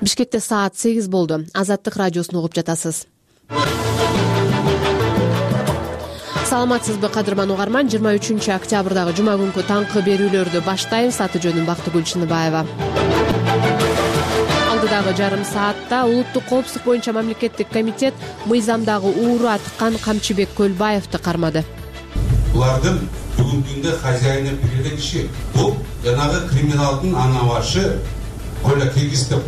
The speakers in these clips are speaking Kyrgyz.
Бишкекте саат 8 болду. Азаттык радиосун угуп жатасыз. Саламатсызбы, кадырман угарман? 23 октябрдагы жума күнкү таңкы берүүлөрдү баштайбыз. Аты жөнүм Бактыгүл Чыныбаева. Алдыдагы жарым саатта улуттук коопсуздук боюнча мамлекеттик комитет мыйзамдагы ууру аткан Камчыбек Көлбаевди кармады. Булардын бүгүнкү күндө хозяйны билген киши бул жанагы криминалдын ана башы Коля Киргизов.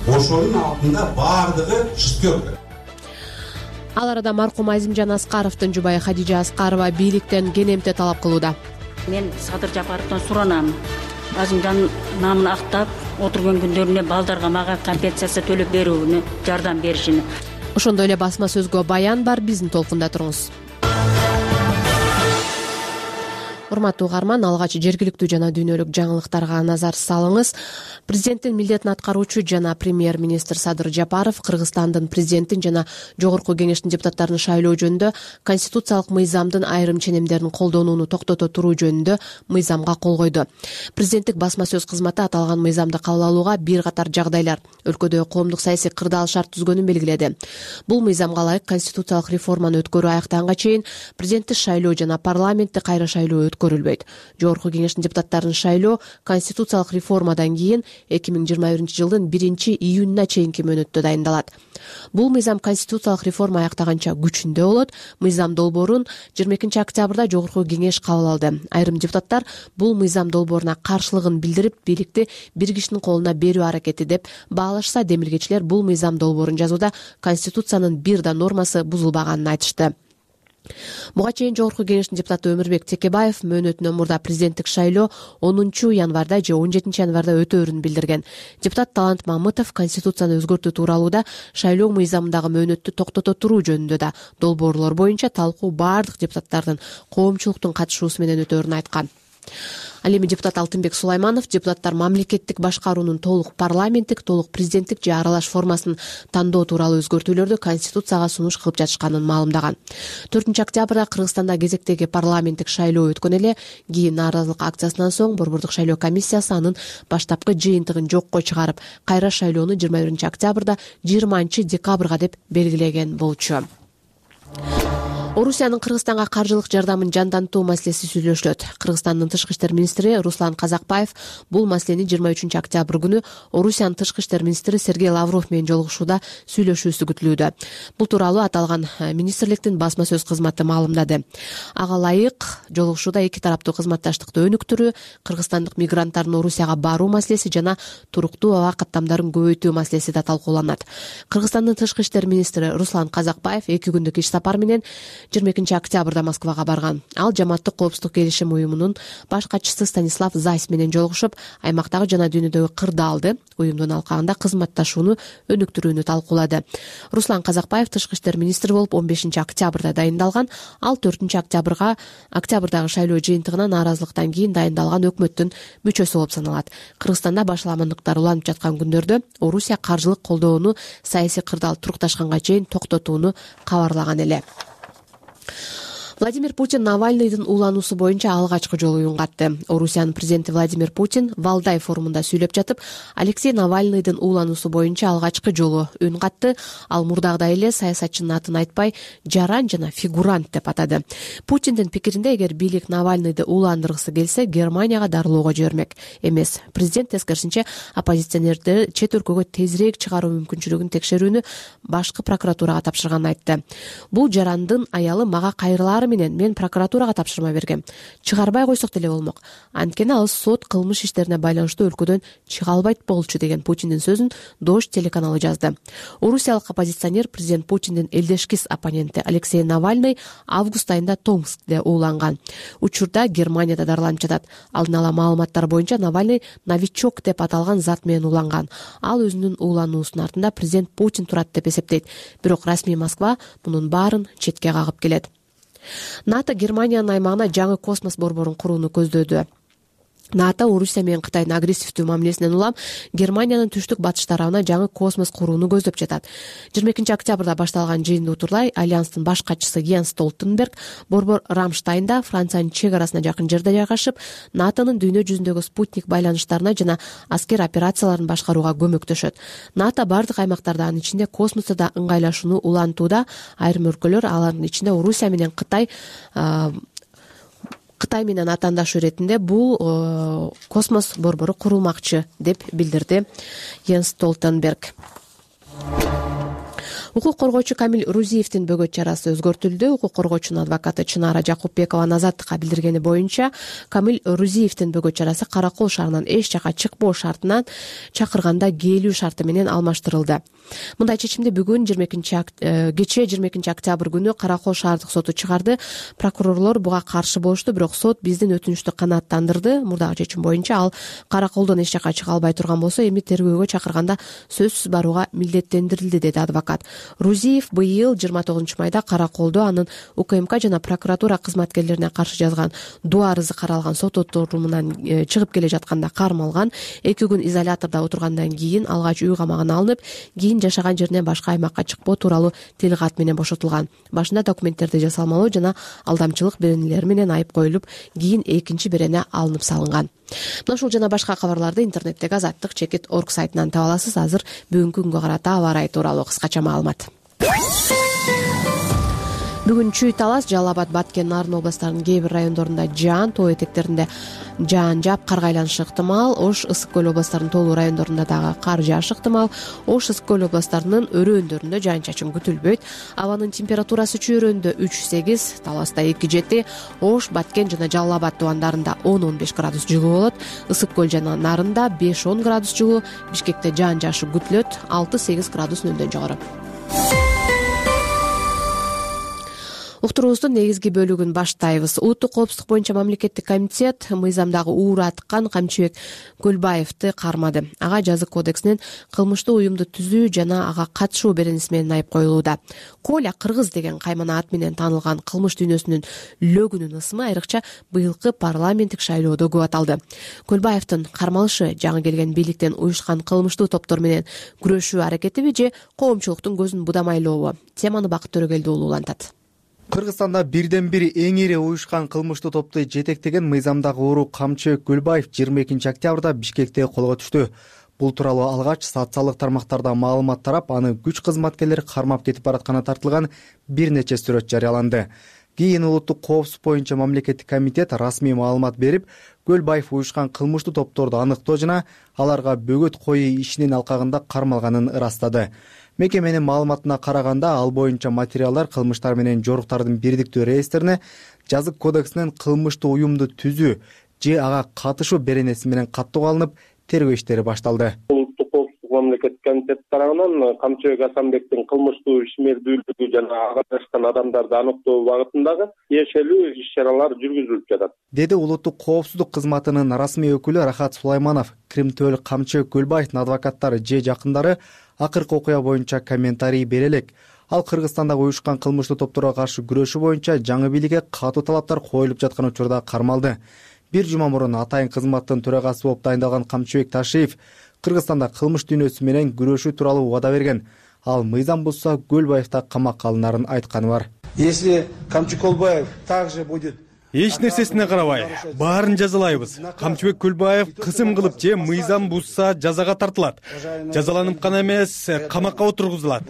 Ошонун алдында баардыгы шестерка. Ал арада маркум Азимжан Аскаровдун жубайы Хадижа Аскарова бийликтен кенемте талап кылууда. Мен Садыр Жапаровдон суранам. Азимжан намын актап отурган күндөрүнө балдарга мага компенсация төлөп берүүнү, жардам беришини. Ошондой эле басма сөзгө баян бар, биздин толкунда туруңуз. Урматтуу угарман, алгач жергиликтүү жана дүйнөлүк жаңылыктарга назар салыңыз. Президенттин милдетин аткаруучу жана премьер-министр Садыр Жапаров Кыргызстандын президентин жана жогорку кеңештин депутаттарын шайлоо жөнүндө конституциялык мыйзамдын айрым ченемдерин колдонууну токтото туруу жөнүндө мыйзамга кол койду. Президенттик басма сөз кызматы аталган мыйзамды кабыл алууга бир катар жагдайлар, өлкөдө коомдук саясий кырдаал шарт түзгөнүн белгиледи. Бул мыйзамга ылайык конституциялык реформаны өткөрүү аякта чейин президенттик шайлоо жана парламентти кайра шайлоо көрүлбөйт. Жогорку кеңештин депутаттарын шайлоо конституциялык реформадан кийин 2021-жылдын 1-июнуна чейинки мөөнөттө дайындалат. Бул мыйзам конституциялык реформа аяктаганча күчүндө болот. Мыйзам долбоорун 22 октябрда жогорку кеңеш кабыл алды. Айрым депутаттар бул мыйзам долбооруна каршылыгын билдирип, бийликти бир кишинин колуна берүү аракети деп баалашса, демилгечилер бул мыйзам долбоорун жазууда конституциянын бир да нормасы бузулбаганын айтышты. Буга чейин жогорку кеңештин депутаты Өмүрбек Текебаев мөөнөтүнөн мурда президенттик шайлоо 10 январда же 17 январда өтөөрүн билдирген. Депутат Талант Мамытов конституцияны өзгөртүү тууралууда шайлоо мыйзамындагы мөөнөттү токтото туруу жөнүндө да долбоорлор боюнча талкуу баардык депутаттардын коомчулуктун катышуусу менен өтөөрүн айткан. Ал эми депутат Алтынбек Сулайманов депутаттар мамлекеттик башкаруунун толук парламенттик, толук президенттик же аралаш формасын тандоо тууралуу өзгөртүүлөрдү конституцияга сунуш кылып жатышканын маалымдаган. 4 октябрда Кыргызстанда кезектеги парламенттик шайлоо өткөн эле. Кийин нааразылык акциясынан соң Борбордук шайлоо комиссиясы анын баштапкы жыйынтыгын жокко чыгарып, кайра шайлоону 21 октябрда 20 декабрга деп белгилеген болчу. Орусиянын Кыргызстанга каржылык жардамын жандантуу маселеси сүйлөшүлөт. Кыргызстандын тышкы иштер министри Руслан Казакбаев бул маселени 23 октябрь күнү Орусиянын тышкы иштер министри Сергей Лавров менен жолугушууда сүйлөшүүсү күтүлүүдө. Бул тууралуу аталган министрликтин басма сөз кызматы маалымдады. Ага ылайык жолугушууда эки тараптуу кызматташтыкты өнүктүрүү, кыргызстандык мигранттардын Орусияга баруу маселеси жана туруктуу аба каттамдарын көбөйтүү маселеси да талкууланат. Кыргызстандын тышкы иштер министри Руслан Казакбаев 2 күндүк иш сапар менен 22 октябрда Москвага барган. Ал жамааттык коопсуздук келишим уюмунун баш катчысы Станислав Зайс менен жолугушуп, аймактагы жана дүйнөдөгү кырдаалды, уюмдун алкагында кызматташууну өнүктүрүүнү талкуулады. Руслан Казакбаев тышкы иштер министри болуп 15 октябрда дайындалган. Ал 4 октябрдагы шайлоо жыйынтыгына нааразылыктан кийин дайындалган өкмөттүн мүчөсү болуп саналат. Кыргызстанда башаламандыктар уланып жаткан күндөрдө Орусия каржылык колдоону саясий кырдаал турукташканга чейин токтотууну кабарлаган эле. Владимир Путин Навальныйдын уулануусу боюнча алгачкы жолу үн катты. Орусиянын президенти Владимир Путин Валдай форумунда сүйлөп жатып, Алексей Навальныйдын уулануусу боюнча алгачкы жолу үн катты. Ал мурдагыдай эле саясатчынын атын айтпай, жаран жана фигурант деп атады. Путиндин пикиринде, эгер бийлик Навальныйды ууландыргысы келсе, Германияга дарылоого жибермек эмес. Президент тескерисинче оппозиционерди чет өлкөгө тезирээк чыгаруу мүмкүнчүлүгүн текшерүүнү башкы прокуратурага тапшырганын айтты. Бул жарандын аялы мага кайрылаары менен мен прокуратурага тапшырма бергем. Чыгарбай койсок деле болмок. Анткени ал сот кылмыш иштерине байланыштуу өлкөдөн чыга албайт болчу деген Путиндин сөзүн Дождь телеканалы жазды. Орусиялык оппозиционер президент Путиндин элдешкис оппоненти Алексей Навальный август айында Томскте ууланган. Учурда Германияда дарыланып жатат. Алдын ала маалыматтар боюнча Навальный новичок деп аталган зат менен ууланган. Ал өзүнүн уулануусунун артында президент Путин турат деп эсептейт. Бирок расмий Москва мунун баарын четке кагып келет. НАТО Германиянын аймагына жаңы космос борборун курууну көздөдү. НАТО Орусия менен Кытайдын агрессивдүү мамилесинен улам Германиянын түштүк батыш тарабына жаңы космос курууну көздөп жатат. 22 октябрда башталган жыйынды утурлай Альянстын баш катчысы Йенс Столтенберг борбор Рамштайнда, Франциянын чек арасына жакын жерде жайгашып, НАТОнун дүйнө жүзүндөгү спутник байланыштарына жана аскер операцияларын башкарууга көмөктөшөт. НАТО бардык аймактарда, анын ичинде космосто да ыңгайлашууну улантууда. Айрым өлкөлөр, алардын ичинде Орусия менен Кытай менен атаандаш иретинде бул космос борбору курулмакчы деп билдирди Йенс Столтенберг. Укук коргоочу Камиль Рузиевдин бөгөт чарасы өзгөртүлдү. Укук коргоочунун адвокаты Чынара Жакупбекованын азаттыкка билдиргени боюнча, Камиль Рузиевдин бөгөт чарасы Каракол шаарынан эч жака чыкпоо шартынан чакырганда келүү шарты менен алмаштырылды. Мындай чечимди бүгүн кечээ 22 октябрь күнү Каракол шаардык соту чыгарды. Прокурорлор буга каршы болушту, бирок сот биздин өтүнүчтү канааттандырды. Мурдагы чечим боюнча ал Караколдон эч жака чыга албай турган болсо, эми тергөөгө чакырганда сөзсүз барууга милдеттендирилди, деди адвокат. Рузиев быйыл 29 майда Караколдо анын УКМК жана прокуратура кызматкерлерине каршы жазган доо арызы каралган сот отурумунан чыгып келе жатканда кармалган. 2 күн изолятордо отургандан кийин алгач үй камагына алынып, кийин жашаган жеринен башка аймакка чыкпоо тууралуу тил кат менен бошотулган. Башында документтерди жасалмалоо жана алдамчылык беренелери менен айып коюлуп, кийин экинчи берене алынып салынган. Мына ушул жана башка кабарларды интернеттеги azatlyk.org сайтынан таба аласыз. Азыр бүгүнкү күнгө карата аба ырайы тууралуу кыскача маалымат. Бүгүн Чүй, Талас, Жалал Абад, Баткен, Нарын областарынын кээ бир райондорунда жаан, тоо этектеринде жаан жаап, кар айланышы ыктымал. Ош, Ысык көл областарынын тоолуу райондорунда дагы кар жаашы ыктымал. Ош, Ысык көл областарынын өрөөндөрүндө жаан-чачын күтүлбөйт. Абанын температурасы Чүй өрөөндө 3-8, Таласта 2-7, Ош, Баткен жана Жалал Абад тубандарында 10-15 градус жылуу болот. Ысык көл жана Нарында 5-10 градус жылуу, Бишкекте жаан жаашы күтүлөт, 6-8 градус нөлдөн жогору. Уктуруубуздун негизги бөлүгүн баштайбыз. Улуттук коопсуздук боюнча мамлекеттик комитет мыйзамдагы уура аткан Камчыбек Көлбаевди кармады. Ага жазык кодексинин кылмыштуу уюмду түзүү жана ага катышуу беренеси менен айып коюлууда. Коля Кыргыз деген каймана ат менен таанылган кылмыш дүйнөсүнүн лөгүнүн ысымы айрыкча быйылкы парламенттик шайлоодо көп аталды. Көлбаевдин кармалышы жаңы келген бийликтен уюшкан кылмыштуу топтор менен күрөшүү аракетиби же коомчулуктун көзүн будамайлообу? Теманы Бакыт Төрөгелди уулу улантат. Кыргызстанда бирден бир эң ири уюшкан кылмыштуу топту жетектеген мыйзамдагы уруу Камчыбек Көлбаев 22 октябрда Бишкекте колго түштү. Бул тууралуу алгач социалдык тармактарда маалымат тарап, аны күч кызматкерлери кармап кетип баратканы тартылган бир нече сүрөт жарыяланды. Кийин улуттук коопсуздук боюнча мамлекеттик комитет расмий маалымат берип, Көлбаев уюшкан кылмыштуу топторду аныктоо жана аларга бөгөт коюу ишинин алкагында кармалганын ырастады. Мекеменин маалыматына караганда, ал боюнча материалдар кылмыштар менен жоруктардын бирдиктүү реестрине жазык кодексинин кылмыштуу уюмду түзүү же ага катышуу беренеси менен каттоого алынып, тергөө иштери башталды. Улуттук коопсуздук мамлекеттик комитет тарабынан Камчыбек Асанбектин кылмыштуу ишмердүүлүгү жана ага катышкан адамдарды аныктоо багытындагы тиешелүү иш-чаралар жүргүзүлүп жатат, деди улуттук коопсуздук кызматынын расмий өкүлү Рахат Сулайманов. Кримтөөл Камчыбек Көлбаевдин адвокаттары же жакындары акыркы окуя боюнча комментарий бере элек. Ал Кыргызстандагы уюшкан кылмыштуу топторго каршы күрөшүү боюнча жаңы бийликке катуу талаптар коюлуп жаткан учурда кармалды. Бир жума мурун атайын кызматтын төрагасы болуп дайындалган Камчыбек Ташиев Кыргызстанда кылмыш дүйнөсү менен күрөшүү тууралуу убада берген. Ал мыйзам бузса Көлбаев да камакка алынарын айтканы бар. Если Камчыбек Көлбаев также будет эч нерсесине карабай, баарын жазалайбыз. Камчыбек Көлбаев кысым кылып же мыйзам бузса жазага тартылат. Жазаланып гана эмес, камакка отургузулат.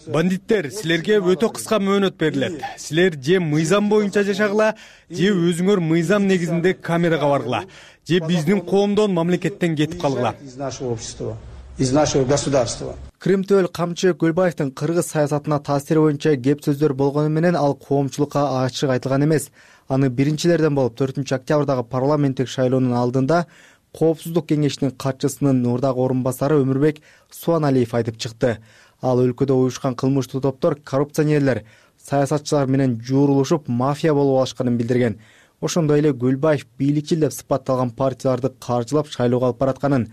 Бандиттер, силерге өтө кыска мөөнөт берилет. Силер же мыйзам боюнча жашагыла, же өзүңөр мыйзам негизинде камерага баргыла, же биздин коомдон, мамлекеттен кетип калгыла. Из нашего государства. Кримтөөл Камчыбек Көлбаевдин кыргыз саясатына таасири боюнча кеп сөздөр болгону менен ал коомчулукка ачык айтылган эмес. Аны биринчилерден болуп 4 октябрдагы парламенттик шайлоонун алдында Коопсуздук кеңешинин катчысынын мурдагы орун басары Өмүрбек Суаналиев айтып чыкты. Ал өлкөдө уюшкан кылмыштуу топтор коррупционерлер, саясатчылар менен жуурулушуп мафия болуп алышканын билдирген. Ошондой эле Көлбаев бийликчил деп сыпатталган партияларды каржылап шайлоого алып баратканын,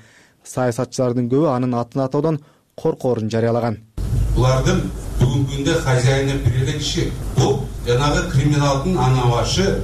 саясатчылардын көбү анын атын атоодон коркоорун жарыялаган. Булардын бүгүнкү күндө хозяйны берилген иши. Бул жанагы криминалдын ана башы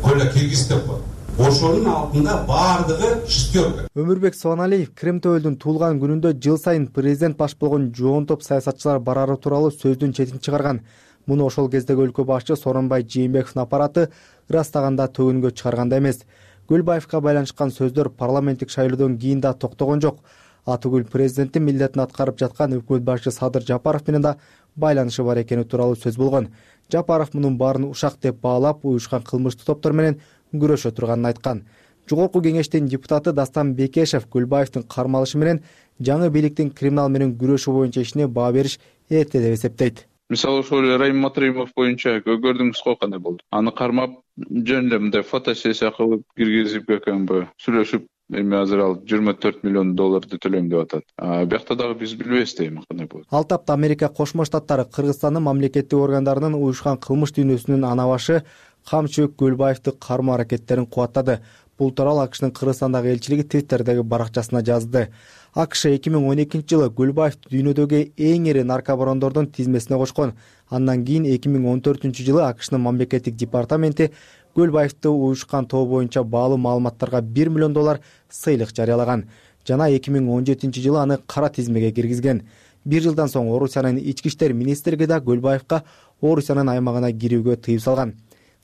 Коля Кыргыз деп бар. ошонун алдында баардыгы шестерка. Өмүрбек Субаналиев Крим Төөлдүн туулган күнүндө жыл сайын президент баш болгон жоон топ саясатчылар барары тууралуу сөздүн четин чыгарган. Муну ошол кездеги өлкө башчы Сооронбай Жээнбековдун аппараты ырастаганда төгүнгө чыгарганда эмес. Гүлбаевка байланышкан сөздөр парламенттик шайлоодон кийин да токтогон жок. Атүгүл президенттин милдетин аткарып жаткан өкмөт башчы Садыр Жапаров менен да байланышы бар экени тууралуу сөз болгон. Жапаров мунун баарын ушак деп баалап, уюшкан кылмыштуу топтор менен күрөшө турганын айткан. Жогорку кеңештин депутаты Дастан Бекешев Гүлбаевдин кармалышы менен жаңы бийликтин криминал менен күрөшүү боюнча ишине баа бериш эрте деп эсептейт. Мисалы ошол Райым Матримов боюнча көрдүңүз го кандай болду. Аны кармап жөн эле мындай фотосессия кылып киргизип экенби, сүйлөшүп, эми азыр ал $24 миллион төлөйм деп атат. Биякта дагы биз билбейбиз дейм кандай болот. Ал тапта Америка Кошмо Штаттары Кыргызстандын мамлекеттик органдарынын уюшкан кылмыш дүйнөсүнүн ана башы Камчыбек Гүлбаевди кармоо аракеттерин кубаттады. Бул тууралуу АКШнын Кыргызстандагы элчилиги Твиттердеги баракчасына жазды. АКШ 2012-жылы Гүлбаевди дүйнөдөгү эң ири наркобарондордун тизмесине кошкон. Андан кийин 2014-жылы АКШнын мамлекеттик департаменти Гүлбаевди уюшкан тобу боюнча баалуу маалыматтарга $1 миллион сыйлык жарыялаган. Жана 2017-жылы аны кара тизмеге киргизген. Bir жылдан соң Орусиянын ички иштер министрлиги да Гүлбаевка Орусиянын аймагына кирүүгө тыюу салган.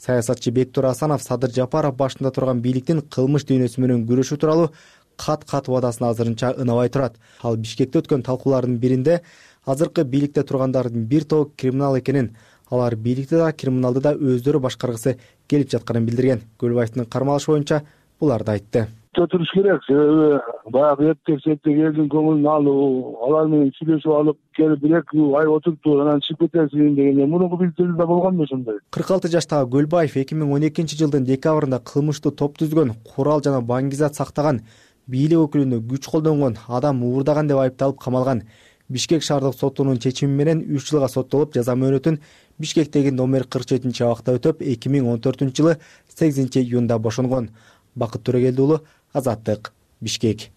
Саясатчы Бектур Асанов Садыр Жапаров башында турган бийликтин кылмыш дүйнөсү менен күрөшүү тууралуу кат убадасын азырынча ынабай турат. Ал Бишкекте өткөн талкуулардын биринде азыркы бийликте тургандардын бир тобу криминал экенин, алар бийликти да криминалды да өздөрү башкаргысы келип жатканын билдирген. Гүлбаевдин кармалышы боюнча буларды айтты. Туруш керек, себеби баягы эптеп элдин көңүлүн алуу, алар менен сүйлөшүп алып келип бир-эки ай отурупту анан чыгып кетесиң дегенде мурунку бийликтерде болгонду ошондой. 46 жаштагы Гүлбаев 2012-жылдын декабрында кылмыштуу топ түзгөн, курал жана баңгизат сактаган, бийлик өкүлүнө күч колдонгон, адам уурдаган деп айыпталып камалган. Бишкек шаардык сотунун чечими менен 3 жылга соттолуп, жаза мөөнөтүн Бишкектеги номер 47-абакта өтөп, 2014-жылы 8-июнда бошонгон. Бакыт Төрөгелди уулу, Азаттык, Бишкек.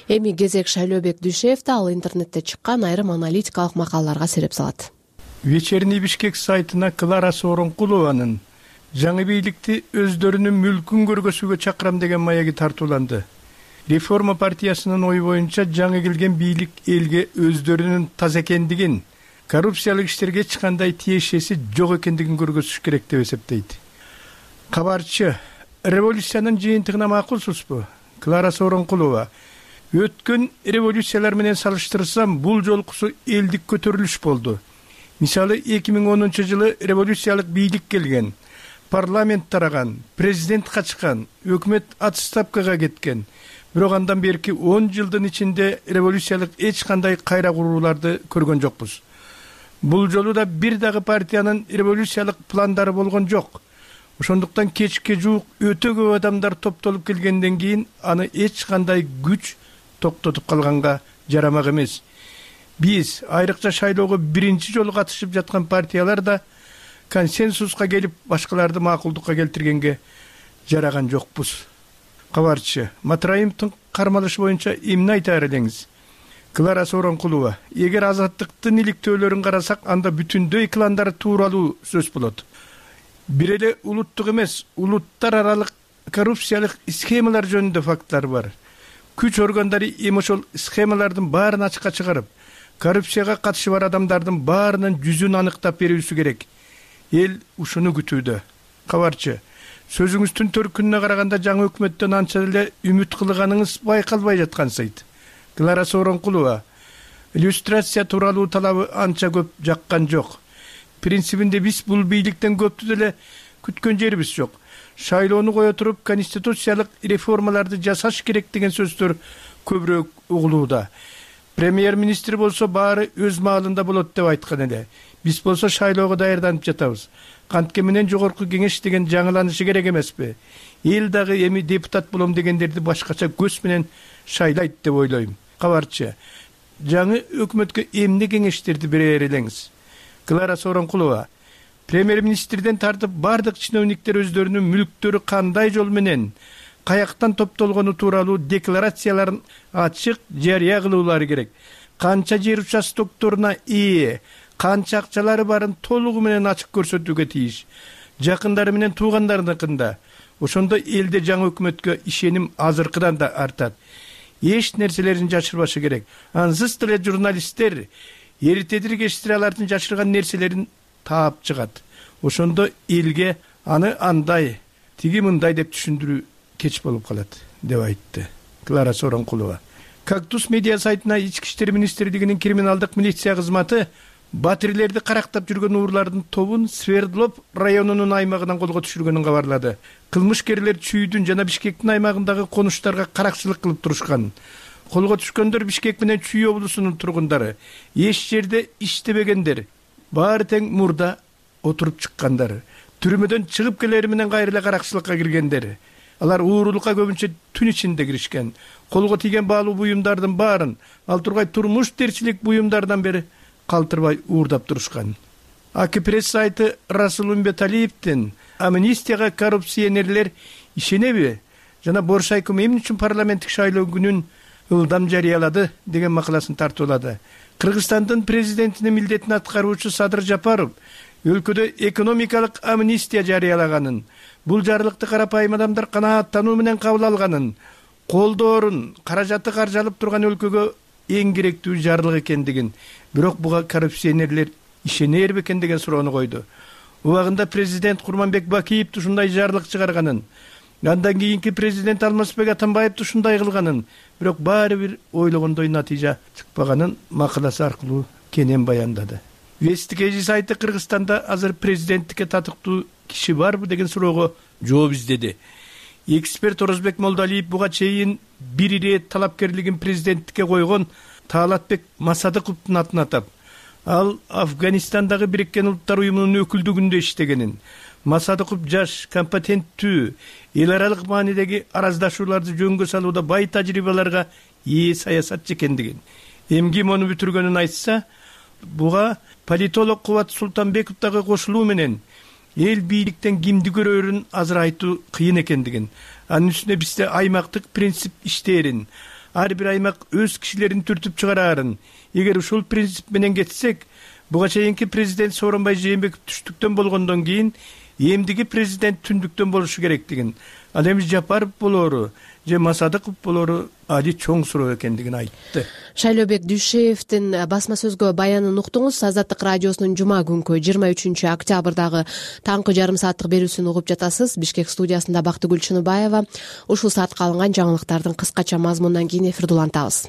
Эми кезек Шайлообек Дүйшеевде, ал интернетте чыккан айрым аналитикалык макалаларга сереп салат. Вечерний Бишкек сайтына Клара Сооронкулованын жаңы бийликти өздөрүнүн мүлкүн көргөзүүгө чакырам деген маяги тартууланды. Реформа партиясынын ою боюнча жаңы келген бийлик элге өздөрүнүн таза экендигин, коррупциялык иштерге эч кандай тиешеси жок экендигин көргөзүш керек деп эсептейт. Кабарчы, революциянын жыйынтыгына макулсузбу? Клара Сооронкулова: өткөн революциялар менен салыштырсам, бул жолкусу элдик көтөрүлүш болду. Мисалы 2010-жылы революциялык бийлик келген, парламент тараган, президент качкан, өкмөт отставкага кеткен. Бирок андан берки 10 жылдын ичинде революциялык эч кандай кайра курууларды көргөн жокпуз. Бул жолу да бир дагы партиянын революциялык пландары болгон жок. Ошондуктан кечке жуук өтө көп адамдар топтолуп келгенден кийин аны эч кандай күч токтотуп калганга жарамак эмес. Биз айрыкча шайлоого биринчи жолу катышып жаткан партиялар да консенсуска келип башкаларды макулдукка келтиргенге жараган жокпуз. Кабарчы, Матраимовдун кармалышы боюнча эмне айтаар элеңиз? Клара Сооронкулова: эгер азаттыктын иликтөөлөрүн карасак, анда бүтүндөй кландар тууралуу сөз болот. Бир эле улуттук эмес, улуттар аралык коррупциялык схемалар жөнүндө факттар бар. Күч органдары эми ошол схемалардын баарын ачыкка чыгарып, коррупцияга катышы бар адамдардын баарынын жүзүн аныктап берүүсү керек. Эл ушуну күтүүдө. Кабарчы, сөзүңүздүн төркүнүнө караганда жаңы өкмөттөн анча эле үмүт кылганыңыз байкалбай жаткансыйт. Клара Сооронкулова: иллюстрация тууралуу талабы анча көп жаккан жок. Принцибинде биз бул бийликтен көптү деле күткөн жерибиз жок. Шайлоону кое туруп, конституциялык реформаларды жасаш керек деген сөздөр көбүрөөк угулууда. Премьер-министр болсо баары өз маалында болот деп айткан эле. Биз болсо шайлоого даярданып жатабыз. Кантке менен жогорку кеңеш деген жаңыланышы керек эмеспи? Эл дагы эми депутат болом дегендерди башкача көз менен шайлайт деп ойлойм. Кабарчы, жаңы өкмөткө эмне кеңештерди берер элеңиз? Клара Сооронкулова: премьер-министрден тартып бардык чиновниктер өздөрүнүн мүлктөрү кандай жол менен, каяктан топтолгону тууралуу декларацияларын ачык жарыя кылуулары керек. Канча жер участокторуна ээ, канча акчалары барын толугу менен ачык көрсөтүүгө тийиш. Жакындары менен туугандарыныкында. Ошондо элде жаңы өкмөткө ишеним азыркыдан да артат. Эч нерселерин жашырбашы керек. Ансыз деле журналисттер эритедир кечтире алардын жашырган нерселерин таап чыгат. Ошондо элге аны андай, тиги мындай деп түшүндүрүү кеч болуп калат, деп айтты Клара Сооронкулова. Кактус медиа сайтына Ички иштер министрлигинин криминалдык милиция кызматы батирлерди карактап жүргөн уурлардын тобун Свердлов районунун аймагынан колго түшүргөнүн кабарлады. Кылмышкерлер Чүйдүн жана Бишкектин аймагындагы конуштарга каракчылык кылып турушкан. Колго түшкөндөр Бишкек менен Чүй облусунун тургундары. Эч жерде иштебегендер. Баары тең мурда отуруп чыккандар. Түрмөдөн чыгып келери менен кайра эле каракчылыкка киргендер. Алар уурулукка көбүнчө түн ичинде киришкен. Колго тийген баалуу буюмдардын баарын ал тургай турмуш терчилик буюмдардан бери калтырбай уурдап турушкан. АК пресс сайты Расул Умбеталиевдин амнистияга коррупционерлер ишенеби жана Боршайком эмне үчүн парламенттик шайлоо күнүн ылдам жарыялады деген макаласын тартуулады. Кыргызстандын президентинин милдетин аткаруучу Садыр Жапаров өлкөдө экономикалык амнистия жарыялаганын, бул жарлыкты карапайым адамдар канааттануу менен кабыл алганын, колдоорун, каражаты каржалып турган өлкөгө эң керектүү жарлык экендигин, бирок буга коррупционерлер ишенер бекен деген суроону койду. Убагында президент Курманбек Бакиев ушундай жарлык чыгарганын, андан кийинки президент Алмазбек Атамбаев ушундай кылганын, бирок баары бир ойлогондой натыйжа чыкпаганын макаласы аркылуу кенен баяндады. Вестикежи сайты Кыргызстанда азыр президенттикке татыктуу киши барбы деген суроого жооп издеди. Эксперт Орозбек Молдалиев буга чейин бир ирет талапкерлигин президенттикке койгон Таалатбек Масадыковдун атын атап, ал Афганистандагы Бириккен Улуттар уюмунун өкүлдүгүндө иштегенин, Масадыков жаш, компетенттүү, эл аралык маанидеги араздашууларды жөнгө салууда бай тажрыйбаларга ээ саясатчы экендигин, эмгим ону бүтүргөнүн айтса, буга политолог Кубат Султанбеков дагы кошулуу менен эл бийликтен кимди көрөрүн азыр айтуу кыйын экендигин, анын үстүнө бизде аймактык принцип иштээрин, ар бир аймак өз кишилерин түртүп чыгарарын, эгер ушул принцип менен кетсек, буга чейинки президент Сооронбай Жээнбеков түштүктөн болгондон кийин эмдиги президент түндүктөн болушу керектигин, ал эми Жапаров болору же Масадыков болору али чоң суроо экендигин айтты. Шайлообек Дүйшеевдин басма сөзгө баянын уктуңуз. Азаттык радиосунун жума күнкү 23 октябрдагы таңкы жарым сааттык берүүсүн угуп жатасыз. Бишкек студиясында Бактыгүл Чыныбаева. Ушул саатка алынган жаңылыктардын кыскача мазмунунан кийин эфирди улантабыз.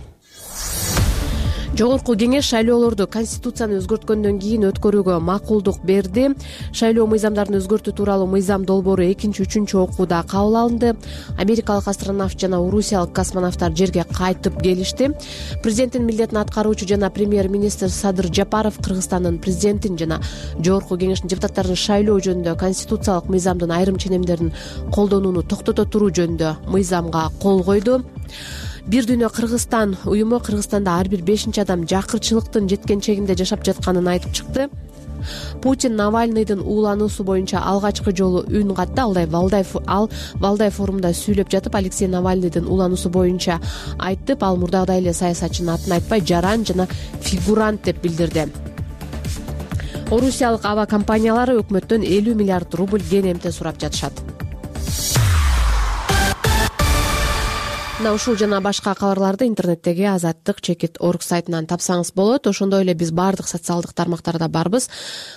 Жогорку кеңеш шайлоолорду конституцияны өзгөрткөндөн кийин өткөрүүгө макулдук берди. Шайлоо мыйзамдарын өзгөртүү тууралуу мыйзам долбоору 2-3 окууда кабыл алынды. Америкалык астронавт жана орусиялык космонавттар жерге кайтып келишти. Президенттин милдетин аткаруучу жана премьер-министр Садыр Жапаров Кыргызстандын президентин жана жогорку кеңештин депутаттарын шайлоо жөнүндө конституциялык мыйзамдын айрым ченемдерин колдонууну токтото туруу жөнүндө мыйзамга кол койду. Бир дүйнө Кыргызстан уюму Кыргызстанда ар бир 5-чи адам жакырчылыктын жеткенчегинде жашап жатканын айтып чыкты. Путин Навальныйдын уулануусу боюнча алгачкы жолу үн катты. Валдай форумда сүйлөп жатып, Алексей Навальныйдын уулануусу боюнча айтып, ал мурдагыдай эле саясатчынын атын айтпай, жаран жана фигурант деп билдирди. Орусиялык аба компаниялары өкмөттөн 50 миллиард рубль кенемте сурап жатышат. Ушул жана башка кабарларды интернеттеги azattik.org сайтынан тапсаңыз болот. Ошондой эле биз баардык социалдык тармактарда барбыз.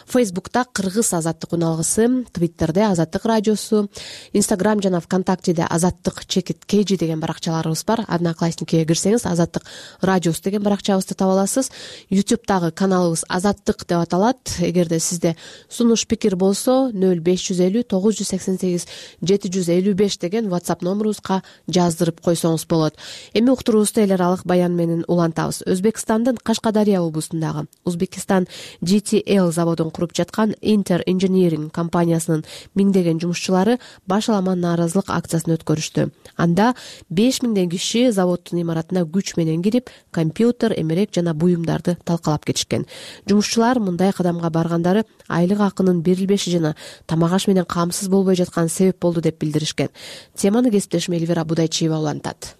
Фейсбукта Кыргыз Азаттык уналгысы, Твиттерде Азаттык радиосу, Инстаграм жана ВКонтактеде azattik.kg деген баракчаларыбыз бар. Одноклассникке кирсеңиз Азаттык радиосу деген баракчабызды таба аласыз. YouTube'дагы каналыбыз Азаттык деп аталат. Эгерде сизде сунуш пикир болсо 0550 988 755 деген WhatsApp номерубузга жаздырып койсоңуз болот. Эми уктуруубузду эл аралык баян менен улантабыз. Өзбекстандын Кашкадария облусундагы Узбекистан GTL заводун куруп жаткан Inter Engineering компаниясынын миңдеген жумушчулары баш аламан нааразылык акциясын өткөрүштү. Анда 5000 киши заводдун имаратына күч менен кирип, компьютер, эмерек жана буюмдарды талкалап кетишкен. Жумушчулар мындай кадамга баргандары айлык акынын берилбеши жана тамак аш менен камсыз болбой жаткан себеп болду деп билдиришкен. Теманы кесиптешим Эльвира Будайчиева улантат.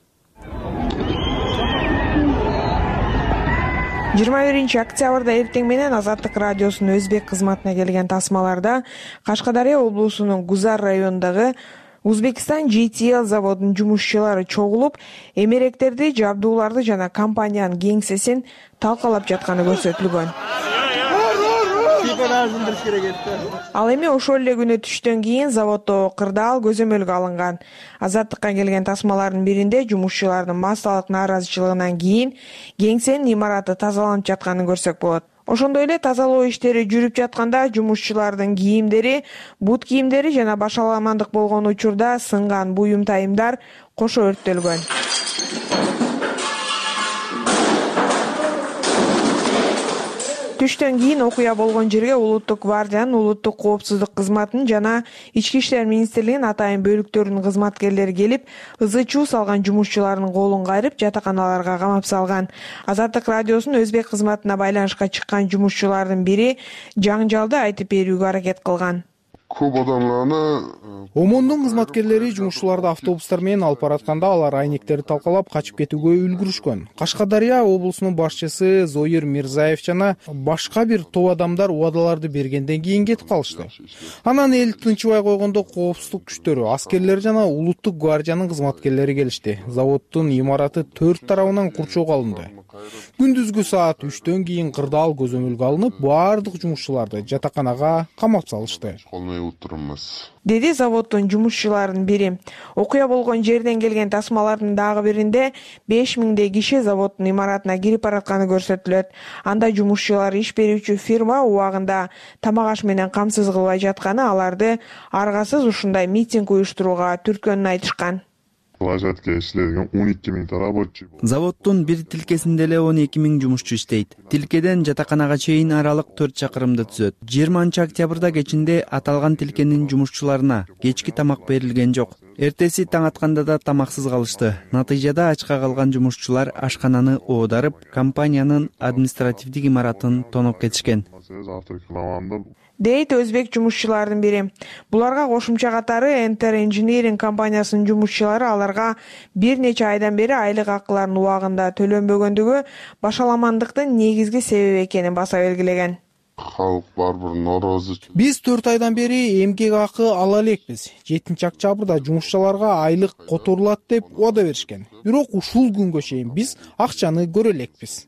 21 октябрда эртең менен Азаттык радиосунун өзбек кызматына келген тасмаларда Кашкадария облусунун Гузар районундагы Узбекистан GTL заводунун жумушчулары чогулуп, эмеректерди, жабдууларды жана компаниянын кеңсесин талкалап жатканы көрсөтүлгөн. Ал эми ошол эле күнү түштөн кийин заводдо кырдаал көзөмөлгө алынган. Азаттыкка келген тасмалардын биринде жумушчулардын массалык нааразычылыгынан кийин кеңсенин имараты тазаланып жатканын көрсөк болот. Ошондой эле тазалоо иштери жүрүп жатканда жумушчулардын кийимдери, бут кийимдери жана башаламандык болгон учурда сынган буюм тайымдар кошо өрттөлгөн. Түштөн кийин окуя болгон жерге Улуттук гвардиянын улуттук коопсуздук кызматынын жана Ички иштер министрлигинин атайын бөлүктөрүнүн кызматкерлери келип, ызы чуу салган жумушчулардын колун кайрып, жатаканаларга камап салган. Азаттык радиосунун өзбек кызматына байланышка чыккан жумушчулардын бири жаңжалды айтып берүүгө аракет кылган. Көп адамларны ОМОНдун кызматкерлери жумушчуларды автобустар менен алып баратканда алар айнектерди талкалап качып кетүүгө үлгүрүшкөн. Кашкадария облусунун башчысы Зоир Мирзаев жана башка бир топ адамдар убадаларды бергенден кийин кетип калышты. Анан эл тынчыбай койгондо коопсуздук күчтөрү, аскерлер жана улуттук гвардиянын кызматкерлери келишти. Заводдун имараты 4 тарабынан курчоого алынды. Күндүзгү саат 3төн кийин кырдаал көзөмөлгө алынып, баардык жумушчуларды жатаканага камап салышты, деди заводдун жумушчуларынын бири. Окуя болгон жерден келген тасмалардын дагы биринде 5000 киши заводдун имаратына кирип баратканы көрсөтүлөт. Анда жумушчулар иш берүүчү фирма убагында тамак аш менен камсыз кылбай жатканы, аларды аргасыз ушундай митинг уюштурууга түрткөнүн айтышкан. Площадка иштеген 12000 рабочий. Заводдун бир тилкесинде эле 12000 жумушчу иштейт. Тилкеден жатаканага чейин аралык 4 чакырымды түзөт. 20 октябрда кечинде аталган тилкенин жумушчуларына кечки тамак берилген жок. Эртеси таң атканда да тамаксыз калышты. Натыйжада ачка калган жумушчулар ашкананы оодарып, компаниянын административдик имаратын тоноп кетишкен, дейт өзбек жумушчуларынын бири. Буларга кошумча катары Enter Engineering компаниясынын жумушчулары аларга бир нече айдан бери айлык акыларын убагында төлөнбөгөндүгү башаламандыктын негизги себеби экенин баса белгилеген. Халык барбыр нороозу. Биз 4 айдан бери эмгек акы ала элекпиз. 7 октябрда жумушчуларга айлык которулат деп убада беришкен. Бирок ушул күнгө чейин биз акчаны көрө элекпиз.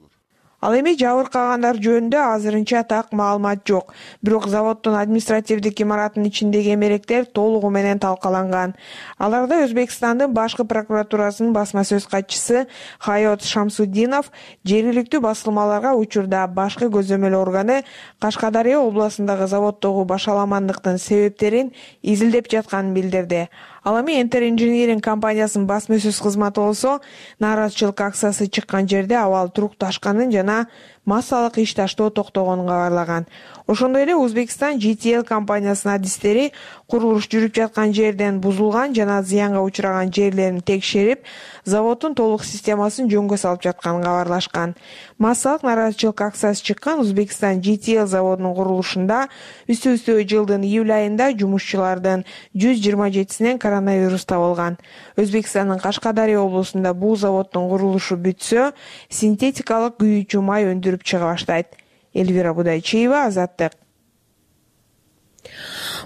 Ал эми жабыркагандар жөнүндө азырынча так маалымат жок. Бирок заводдун административдик имаратынын ичиндеги эмеректер толугу менен талкаланган. Аларда Өзбекстандын башкы прокуратурасынын басма сөз катчысы Хайот Шамсуддинов жергиликтүү басылмаларга учурда башкы көзөмөл органы Кашкадария областындагы заводдогу башаламандыктын себептерин изилдеп жатканын билдирди. Ал эми Enter Engineering компаниясынын басма сөз кызматы болсо, нааразычылык акциясы чыккан жерде абал турукташканын жана массалык иш таштоо токтогонун кабарлаган. Ошондой эле Узбекистан GTL компаниясынын адистери курулуш жүрүп жаткан жерден бузулган жана зыянга учураган жерлерин текшерип, заводдун толук системасын жөнгө салып жатканын кабарлашкан. Массалык нааразычылык акциясы чыккан Узбекистан GTL заводунун курулушунда үстү-үстү жылдын июль айында жумушчулардын 127синен коронавирус табылган. Өзбекстандын Кашкадария облусунда бул заводдун курулушу бүтсө, синтетикалык күйүүчү май өндүрүп чыга баштайт. Элвира Будайчиева, Азаттык.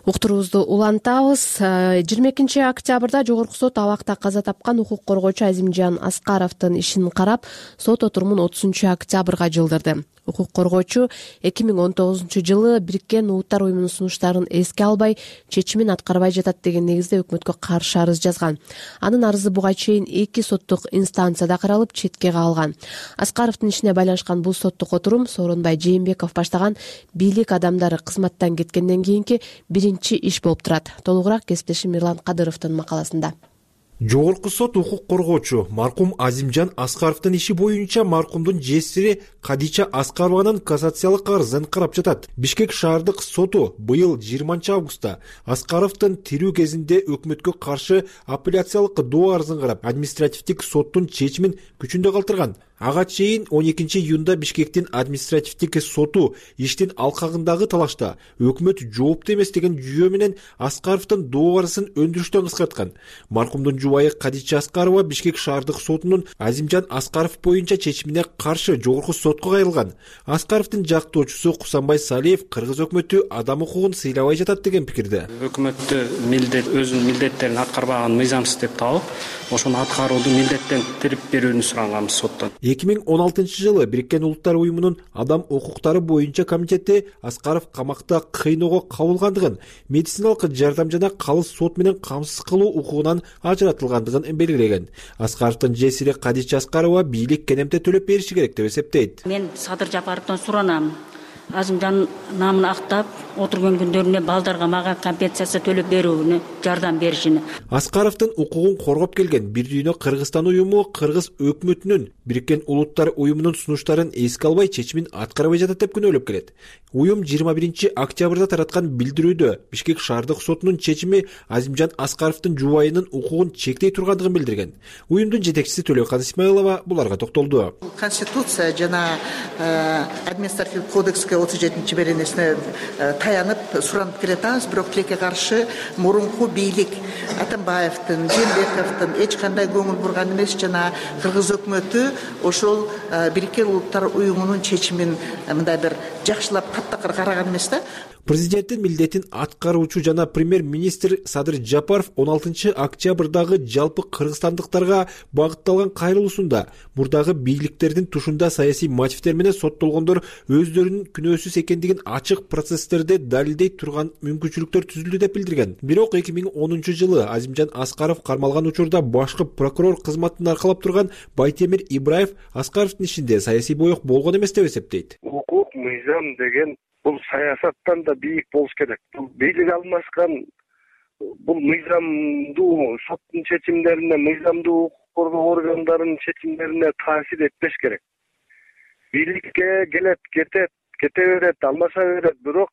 Уктуруубузду улантабыз. 22 октябрда Жогорку сот абакта каза тапкан укук коргоочу Азимжан Аскаровдун ишин карап, сот отурумун 30 октябрга жылдырды. Укук коргоочу 2019-жылы Бириккен Улуттар уюмунун сунуштарын эске албай, чечимин аткарбай жатат деген негизде өкмөткө каршы арыз жазган. Анын арызы буга чейин 2 соттук инстанцияда каралып, четке калган. Аскаровдун ишине байланышкан бул соттук отурум Сооронбай Жээнбеков баштаган бийлик адамдары кызматтан кеткенден кийинки биринчи иш болуп турат. Толугураак кесиптешим Мирлан Кадыровдун макаласында. Жогорку сот укук коргоочу маркум Азимжан Аскаровдун иши боюнча маркумдун жесири Кадича Аскарованын кассациялык арызын карап жатат. Бишкек шаардык соту быйыл 20 августта Аскаровдун тирүү кезинде өкмөткө каршы апелляциялык доо арызын карап, административдик соттун чечимин күчүндө калтырган. Ага чейин 12 июнда Бишкектин административдик соту иштин алкагындагы талашта өкмөт жоопту эмес деген жүйө менен Аскаровдун доо арызын өндүрүштөн кыскарткан. Маркумдун жубайы Кадича Аскарова Бишкек шаардык сотунун Азимжан Аскаров боюнча чечимине каршы Жогорку сотко кайрылган. Аскаровдун жактоочусу Кусанбай Салиев кыргыз өкмөтү адам укугун сыйлабай жатат деген пикирде. Өкмөттү өзүнүн милдеттерин аткарбаган мыйзамсыз деп таап, ошону аткарууду милдеттентирип берүүнү сураганбыз соттон. 2016 Бириккен Улуттар уюмунун адам укуктары боюнча комитети Аскаров камакта кыйноого кабылгандыгын, медициналык жардам жана калыс сот менен камсыз кылуу укугунан ажыратылгандыгын белгилеген. Аскаровдун жесири Кадича Аскарова бийлик кенемте төлөп бериши керек деп эсептейт. Мен Садыр Жапаровдон суранам. Азымжан намын актап отурган күндөрүнө балдарга мага компенсация төлөп берүүнү, жардам беришини. Аскаровдун укугун коргоп келген Бир дүйнө Кыргызстан уюму кыргыз өкмөтүнүн Бириккен Улуттар уюмунун сунуштарын эске албай чечимин аткарбай жатат деп күнөөлөп келет. Уюм 21 октябрда тараткан билдирүүдө Бишкек шаардык сотунун чечими Азимжан Аскаровдун жубайынын укугун чектей тургандыгын билдирген. Уюмдун жетекчиси Төлөкан Исмаилова буларга токтолду. Конституция жана административдик кодекске 37 беренесине таянып суранып келатабыз, бирок тилекке каршы мурунку бийлик Атамбаевдин, Жээнбековдун эч кандай көңүл бурган эмес жана кыргыз өкмөтү ошол Бириккен Улуттар уюмунун чечимин мындай бир жакшылап таптакыр караган эмес да. Президенттин милдетин аткаруучу жана премьер-министр Садыр Жапаров 16 октябрдагы жалпы кыргызстандыктарга багытталган кайрылуусунда мурдагы бийликтердин тушунда саясий мотивдер менен соттолгондор өздөрүнүн күнөөсүз экендигин ачык процесстерде далилдей турган мүмкүнчүлүктөр түзүлдү деп билдирген. Бирок 2010 Азимжан Аскаров кармалган учурда башкы прокурор кызматын аркалап турган Байтемир Ибраев Аскаровдун ишинде саясий боек болгон эмес деп эсептейт. Укук, мыйзам деген бул саясаттан да бийик болуш керек. Бул бийлик алмашкан, бул мыйзамдуу соттун чечимдерине, мыйзамдуу укук коргоо органдарынын чечимдерине таасир этпеш керек. Бийликке келет, кете берет, алмаша берет, бирок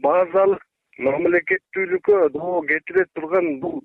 базалык мамлекеттүүлүккө доо кетире турган бул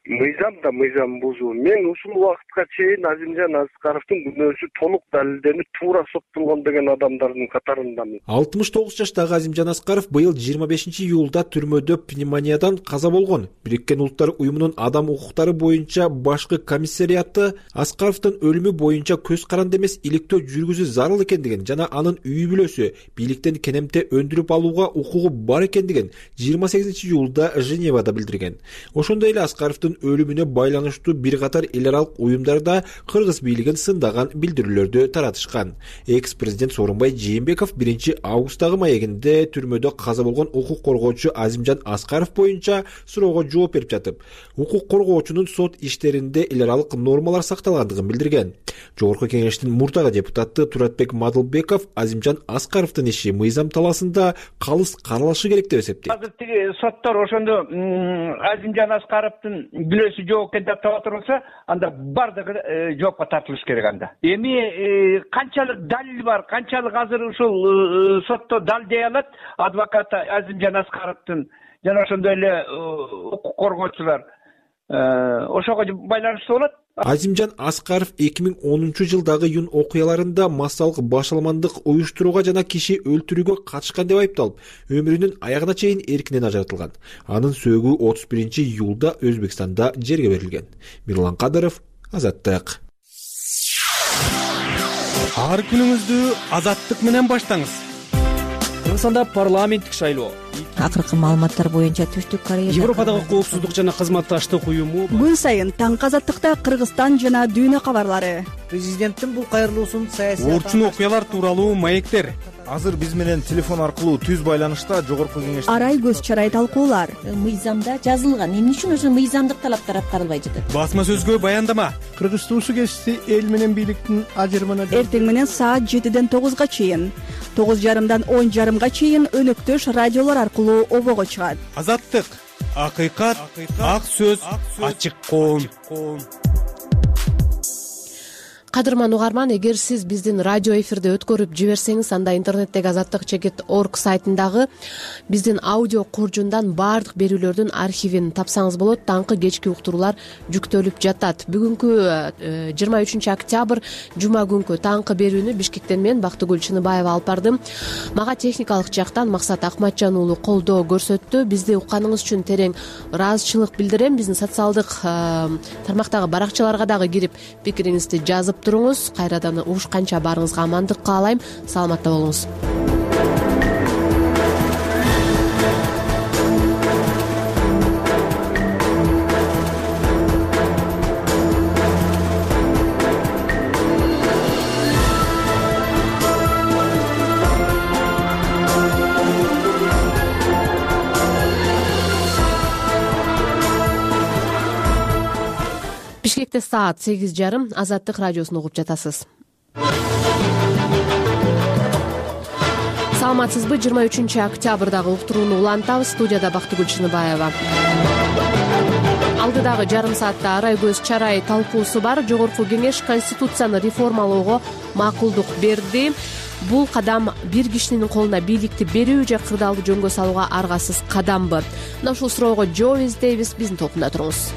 мыйзам да мыйзам бузуу. Мен ушул убакытка чейин Азимжан Аскаровдун күнөөсү толук далилденип туура соттолгон деген адамдардын катарындамын. 69 жаштагы Азимжан Аскаров быйыл 25 июлда түрмөдө пневмониядан каза болгон. Бириккен Улуттар уюмунун адам укуктары боюнча башкы комиссариаты Аскаровдун өлүмү боюнча көз каранды эмес иликтөө жүргүзүү зарыл экендигин жана анын үй бүлөсү бийликтен кенемте өндүрүп алууга укугу бар экендигин 28 июлда Женевада билдирген. Ошондой эле Аскаровдун өлүмүнө байланыштуу бир катар эл аралык уюмдарда кыргыз бийлигин сындаган билдирүүлөрдү таратышкан. Экс-президент Сооронбай Жээнбеков 1 августтагы маегинде түрмөдө каза болгон укук коргоочу Азимжан Аскаров боюнча суроого жооп берип жатып, укук коргоочунун сот иштеринде эл аралык нормалар сакталгандыгын билдирген. Жогорку кеңештин мурдагы депутаты Туратбек Мадылбеков Азимжан Аскаровдун иши мыйзам талаасында калыс каралышы керек деп эсептейт. Азыр тиги соттор ошондо Азимжан Аскаровдун бүлөсү жок экен деп таба турса, анда бардыгы жоопко тартылыш керек анда. Эми канчалык далил бар, канчалык азыр ушул сотто далилдей алат адвокат Азимжан Аскаровдун жана ошондой эле укук коргоочулар ошого байланыштуу болот. Азимжан Аскаров 2010 жылдагы июнь окуяларында массалык башаламандык уюштурууга жана киши өлтүрүүгө катышкан деп айыпталып, өмүрүнүн аягына чейин эркинен ажыратылган. Анын сөөгү 31 июлда Өзбекстанда жерге берилген. Мирлан Кадыров, Азаттык. Ар күнүңүздү Азаттык менен баштаңыз. Кыргызстанда парламенттик шайлоо. Акыркы маалыматтар боюнча Түштүк Корея Европадагы коопсуздук жана кызматташтык уюму күн сайын таңкы Азаттыкта Кыргызстан жана дүйнө кабарлары. Президенттин бул кайрылуусун саясий орчун окуялар тууралуу маектер. Азыр биз менен телефон аркылуу түз байланышта жогорку кеңеш арай көз чарай талкуулар. Мыйзамда жазылган, эмне үчүн ошо мыйзамдык талаптар аткарылбай жатат? Басма сөзгө баяндама. Кыргыз туусу кести эл менен бийликтин ажырымына эртең менен саат 7ден 9га чейин, 9:30дан 10:30га чейин өнөктөш радиолор аркылуу обого чыгат. Азаттык, акыйкат, ак сөз, ачык коом. Кадырман угарман, эгер сиз биздин радио эфирде өткөрүп жиберсеңиз, анда интернеттеги azattik.org сайтындагы биздин аудио коржундан баардык берүүлөрдүн архивин тапсаңыз болот. Таңкы кечки уктуруулар жүктөлүп жатат. Бүгүнкү 23 октябрь жума күнкү таңкы берүүнү Бишкектен мен Бактыгүл Чыныбаева алып бардым. Мага техникалык жактан Максат Акматжан уулу колдоо көрсөттү. Бизди укканыңыз үчүн терең ыраазычылык билдирем. Биздин социалдык тармактагы баракчаларга дагы кирип пикириңизди жазып туруңуз. Кайрадан угушканча баарыңызга амандык каалайм. Саламатта болуңуз. Бишкекте саат 8:30. Азаттык радиосун угуп жатасыз. Саламатсызбы? 23 октябрдагы уктурууну улантабыз. Студияда Бактыгүл Чыныбаева. Алдыдагы жарым саатта арай көз чарай талкуусу бар. Жогорку кеңеш Конституцияны реформалоого макулдук берди. Бул кадам бир кишинин колуна бийликти берүү же кырдаалды жөнгө салууга аргасыз кадамбы? Мына ушул суроого жооп издейбиз. Биздин топунда туруңуз.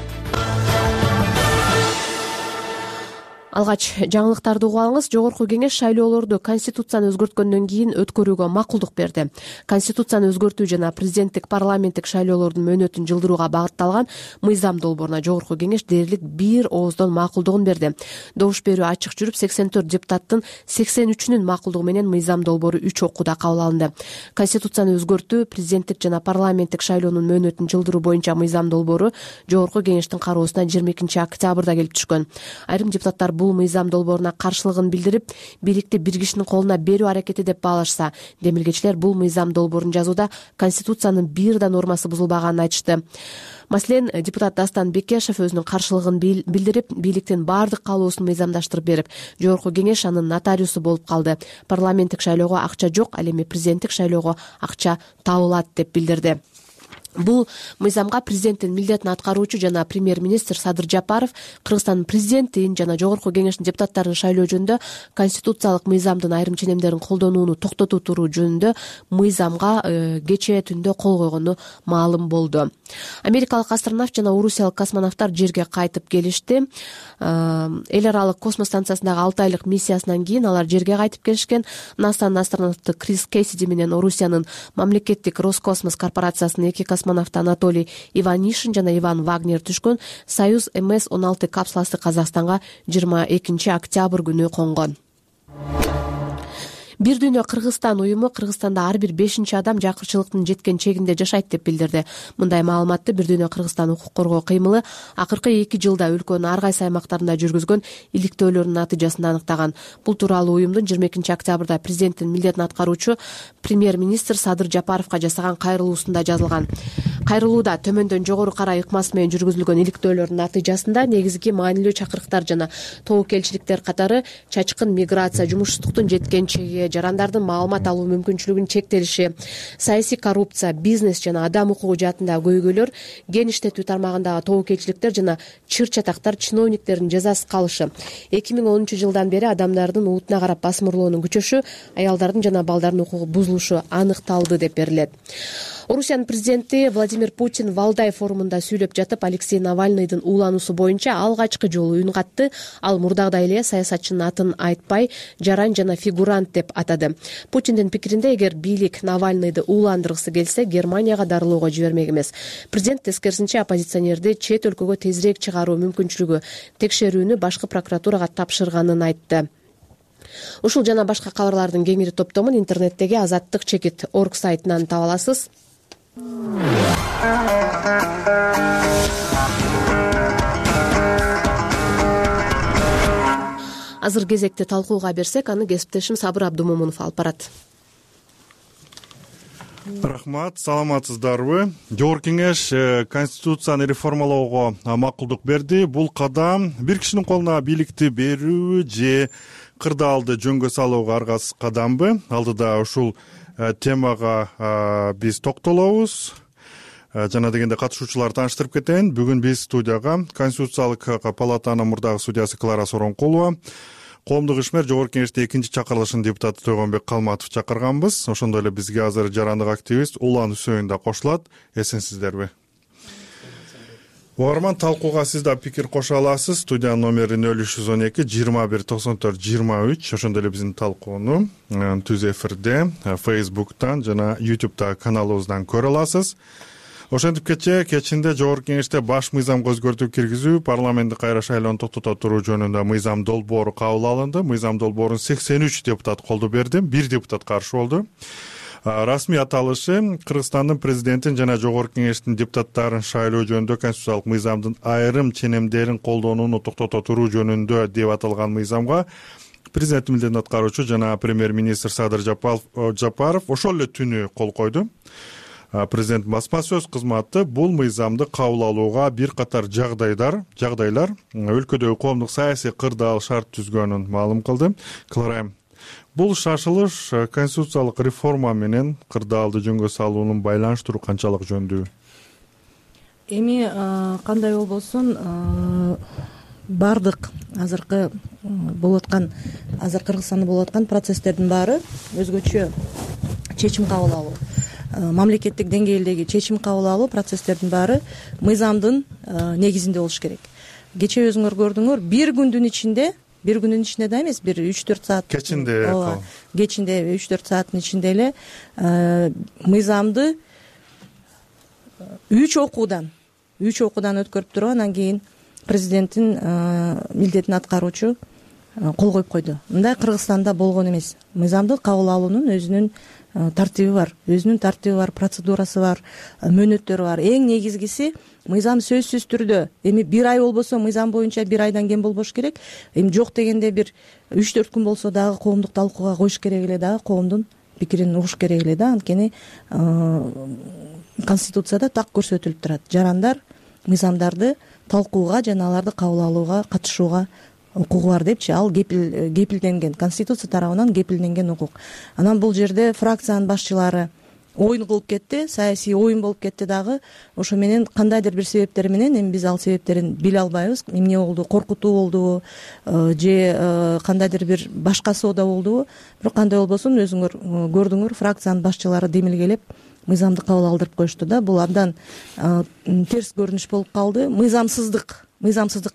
Алгач жаңылыктарды угуп алыңыз. Жогорку кеңеш шайлоолорду Конституцияны өзгөрткөндөн кийин өткөрүүгө макулдук берди. Конституцияны өзгөртүү жана президенттик парламенттик шайлоолордун мөөнөтүн жылдырууга багытталган мыйзам долбооруна Жогорку кеңеш дээрлик бир ооздон макулдугун берди. Добуш берүү ачык жүрүп, 84 депутаттын 83-үнүн макулдугу менен мыйзам долбоору 3 окууда кабыл алынды. Конституцияны өзгөртүү, президенттик жана парламенттик шайлоонун мөөнөтүн жылдыруу боюнча мыйзам долбоору Жогорку кеңештин кароосуна 22 октябрда келип түшкөн. Айрым депутаттар бул мыйзам долбооруна каршылыгын билдирип, бийликти бир кишинин колуна берүү аракети деп баалашса, демилгечилер бул мыйзам долбоорун жазууда Конституциянын бир да нормасы бузулбаганын айтышты. Маселен, депутат Дастан Бекешев өзүнүн каршылыгын билдирип, бийликтин баардык каалоосун мыйзамдаштырып берип, Жогорку кеңеш анын нотариусу болуп калды. Парламенттик шайлоого акча жок, ал эми президенттик шайлоого акча табылат деп билдирди. Бул мыйзамга президенттин милдетин аткаруучу жана премьер-министр Садыр Жапаров Кыргызстандын президентин жана Жогорку кеңештин депутаттарын шайлоо жөнүндө конституциялык мыйзамдын айрым ченемдерин колдонууну токтотуу туруу жөнүндө мыйзамга кечээ түндө кол койгону маалым болду. Америкалык астронавт жана орусиялык космонавттар жерге кайтып келишти. Эл аралык космос станциясындагы 6 айлык миссиясынан кийин алар жерге кайтып келишкен. НАСАнын астронавты Крис Кэссиди менен Орусиянын мамлекеттик Роскосмос корпорациясынын эки космонавт Анатолий Иванишин жана Иван Вагнер түшкөн Союз МС-16 капсуласы Казакстанга 22 октябрь күнү конгон. Бир дүйнө Кыргызстан уюму Кыргызстанда ар бир 5-чи адам жакырчылыктын жеткен чегинде жашайт деп билдирди. Мындай маалыматты Бир дүйнө Кыргызстан укук коргоо кыймылы акыркы 2 жылда өлкөнүн ар кайсы аймактарында жүргүзгөн иликтөөлөрдүн натыйжасында аныктаган. Бул тууралуу уюмдун 22 октябрда президенттин милдетин аткаруучу премьер-министр Садыр Жапаровго жасаган кайрылуусунда жазылган. Кайрылууда төмөндөн жогору карай ыкмасы менен жүргүзүлгөн иликтөөлөрдүн натыйжасында негизги маанилүү чакырыктар жана тобокелчиликтер катары чачкын миграция, жумушсуздуктун жеткен чеги, жарандардын маалымат алуу мүмкүнчүлүгүнүн чектелиши, саясий коррупция, бизнес жана адам укугу жаатындагы көйгөйлөр, ген иштетүү тармагындагы тобокелчиликтер жана чыр-чатактар чиновниктердин жазасыз калышы, 2010 жылдан бери адамдардын улутуна карап басым урлоонун күчөшү, аялдардын жана балдардын укугу бузулушу аныкталды деп берилет. Орусиянын президенти Владимир Путин Валдай форумунда сүйлөп жатып, Алексей Навальныйдын уулануусу боюнча алгачкы жолу үн катты. Ал мурдагыдай эле саясатчынын атын айтпай, жаран жана фигурант деп атады. Путиндин пикиринде, эгер бийлик Навальныйды ууландыргысы келсе, Германияга дарылоого жибермек эмес. Президент тескерисинче оппозиционерди чет өлкөгө тезирээк чыгаруу мүмкүнчүлүгү текшерүүнү башкы прокуратурага тапшырганын айтты. Ушул жана башка кабарлардын кеңири топтомун интернеттеги azattik.org сайтынан таба аласыз. Азыр кезекти талкууга берсек, аны кесиптешим Сабыр Абдумомунов алып барат. Рахмат, саламатсыздарбы? Жогорку кеңеш Конституцияны реформалоого макулдук берди. Бул кадам бир кишинин колуна бийликти берүү же кырдаалды жөнгө салууга аргасыз кадамбы? Алдыда ушул темага биз токтолобуз. Жана дегенде катышуучуларды тааныштырып кетейин. Бүгүн биз студияга Конституциялык палатанын мурдагы судьясы Клара Сооронкулова, коомдук ишмер Жогорку кеңештин 2-чакырылышынын депутаты Тойгонбек Калматов чакырганбыз. Ошондой эле бизге азыр жарандык активист Улан Үсөйүн да кошулат. Эсенсиздерби? Угарман, талкууга сиз да пикир кошо аласыз. Студиянын номери 0312 21 94 23. Ошондой эле биздин талкууну түз эфирде Facebook'тан жана YouTube'да каналыбыздан көрө аласыз. Ошентип кечинде жогорку кеңеште баш мыйзамга өзгөртүү киргизүү, парламенттик кайра шайлоону токтото туруу жөнүндө мыйзам долбоору кабыл алынды. Мыйзам долбоорун 83 депутат колдоо берди, 1 депутат каршы болду. Расмий аталышы Кыргызстандын президентин жана жогорку кеңештин депутаттарын шайлоо жөнүндө конституциялык мыйзамдын айрым ченемдерин колдонууну токтото туруу жөнүндө деп аталган мыйзамга президенттин милдетин аткаруучу жана премьер-министр Садыр Жапаров ошол эле түнү кол койду. Президент басма сөз кызматы бул мыйзамды кабыл алууга бир катар жагдайлар өлкөдөгү коомдук саясий кырдаал шарт түзгөнүн маалым кылды. Кыларайым, бул шашылыш конституциялык реформа менен кырдаалды жөнгө салуунун байланыштыруу канчалык жөндүү? Эми кандай болбосун, бардык азыр Кыргызстанда болуп аткан процесстердин баары өзгөчө чечим кабыл алуу, мамлекеттик деңгээлдеги чечим кабыл алуу процесстердин баары мыйзамдын негизинде болуш керек. Кечээ өзүңөр көрдүңөр, бир күндүн ичинде да эмес, бир 3-4 саат кечинде 3-4 сааттын ичинде эле мыйзамды 3 окуудан өткөрүп туруп, анан кийин президенттин милдетин аткаруучу кол коюп койду. Мындай Кыргызстанда болгон эмес. Мыйзамды кабыл алуунун өзүнүн тартиби бар, процедурасы бар, мөөнөттөрү бар. Эң негизгиси мыйзам сөзсүз түрдө эми 1 ай болбосо мыйзам боюнча 1 айдан кем болбош керек. Эми жок дегенде бир 3-4 күн болсо дагы коомдук талкууга коюш керек эле, дагы коомдун пикирин угуш керек эле да. Анткени Конституцияда так көрсөтүлүп турат. Жарандар мыйзамдарды талкууга жана аларды кабыл алууга, катышууга укугу бар депчи. Ал кепилденген, Конституция тарабынан кепилденген укук. Анан бул жерде фракциянын башчылары оюн кылып кетти, саясий оюн болуп кетти дагы. Ошо менен кандайдыр бир себептер менен, эми биз ал себептерин биле албайбыз. Эмне болду? Коркутуу болдубу же кандайдыр бир башкасы да болдубу? Бирок кандай болбосун, өзүңөр көрдүңөр, фракциянын башчылары демилгелеп мыйзамды кабыл алдырып коюшту да. Бул абдан терс көрүнүш болуп калды. Мыйзамсыздык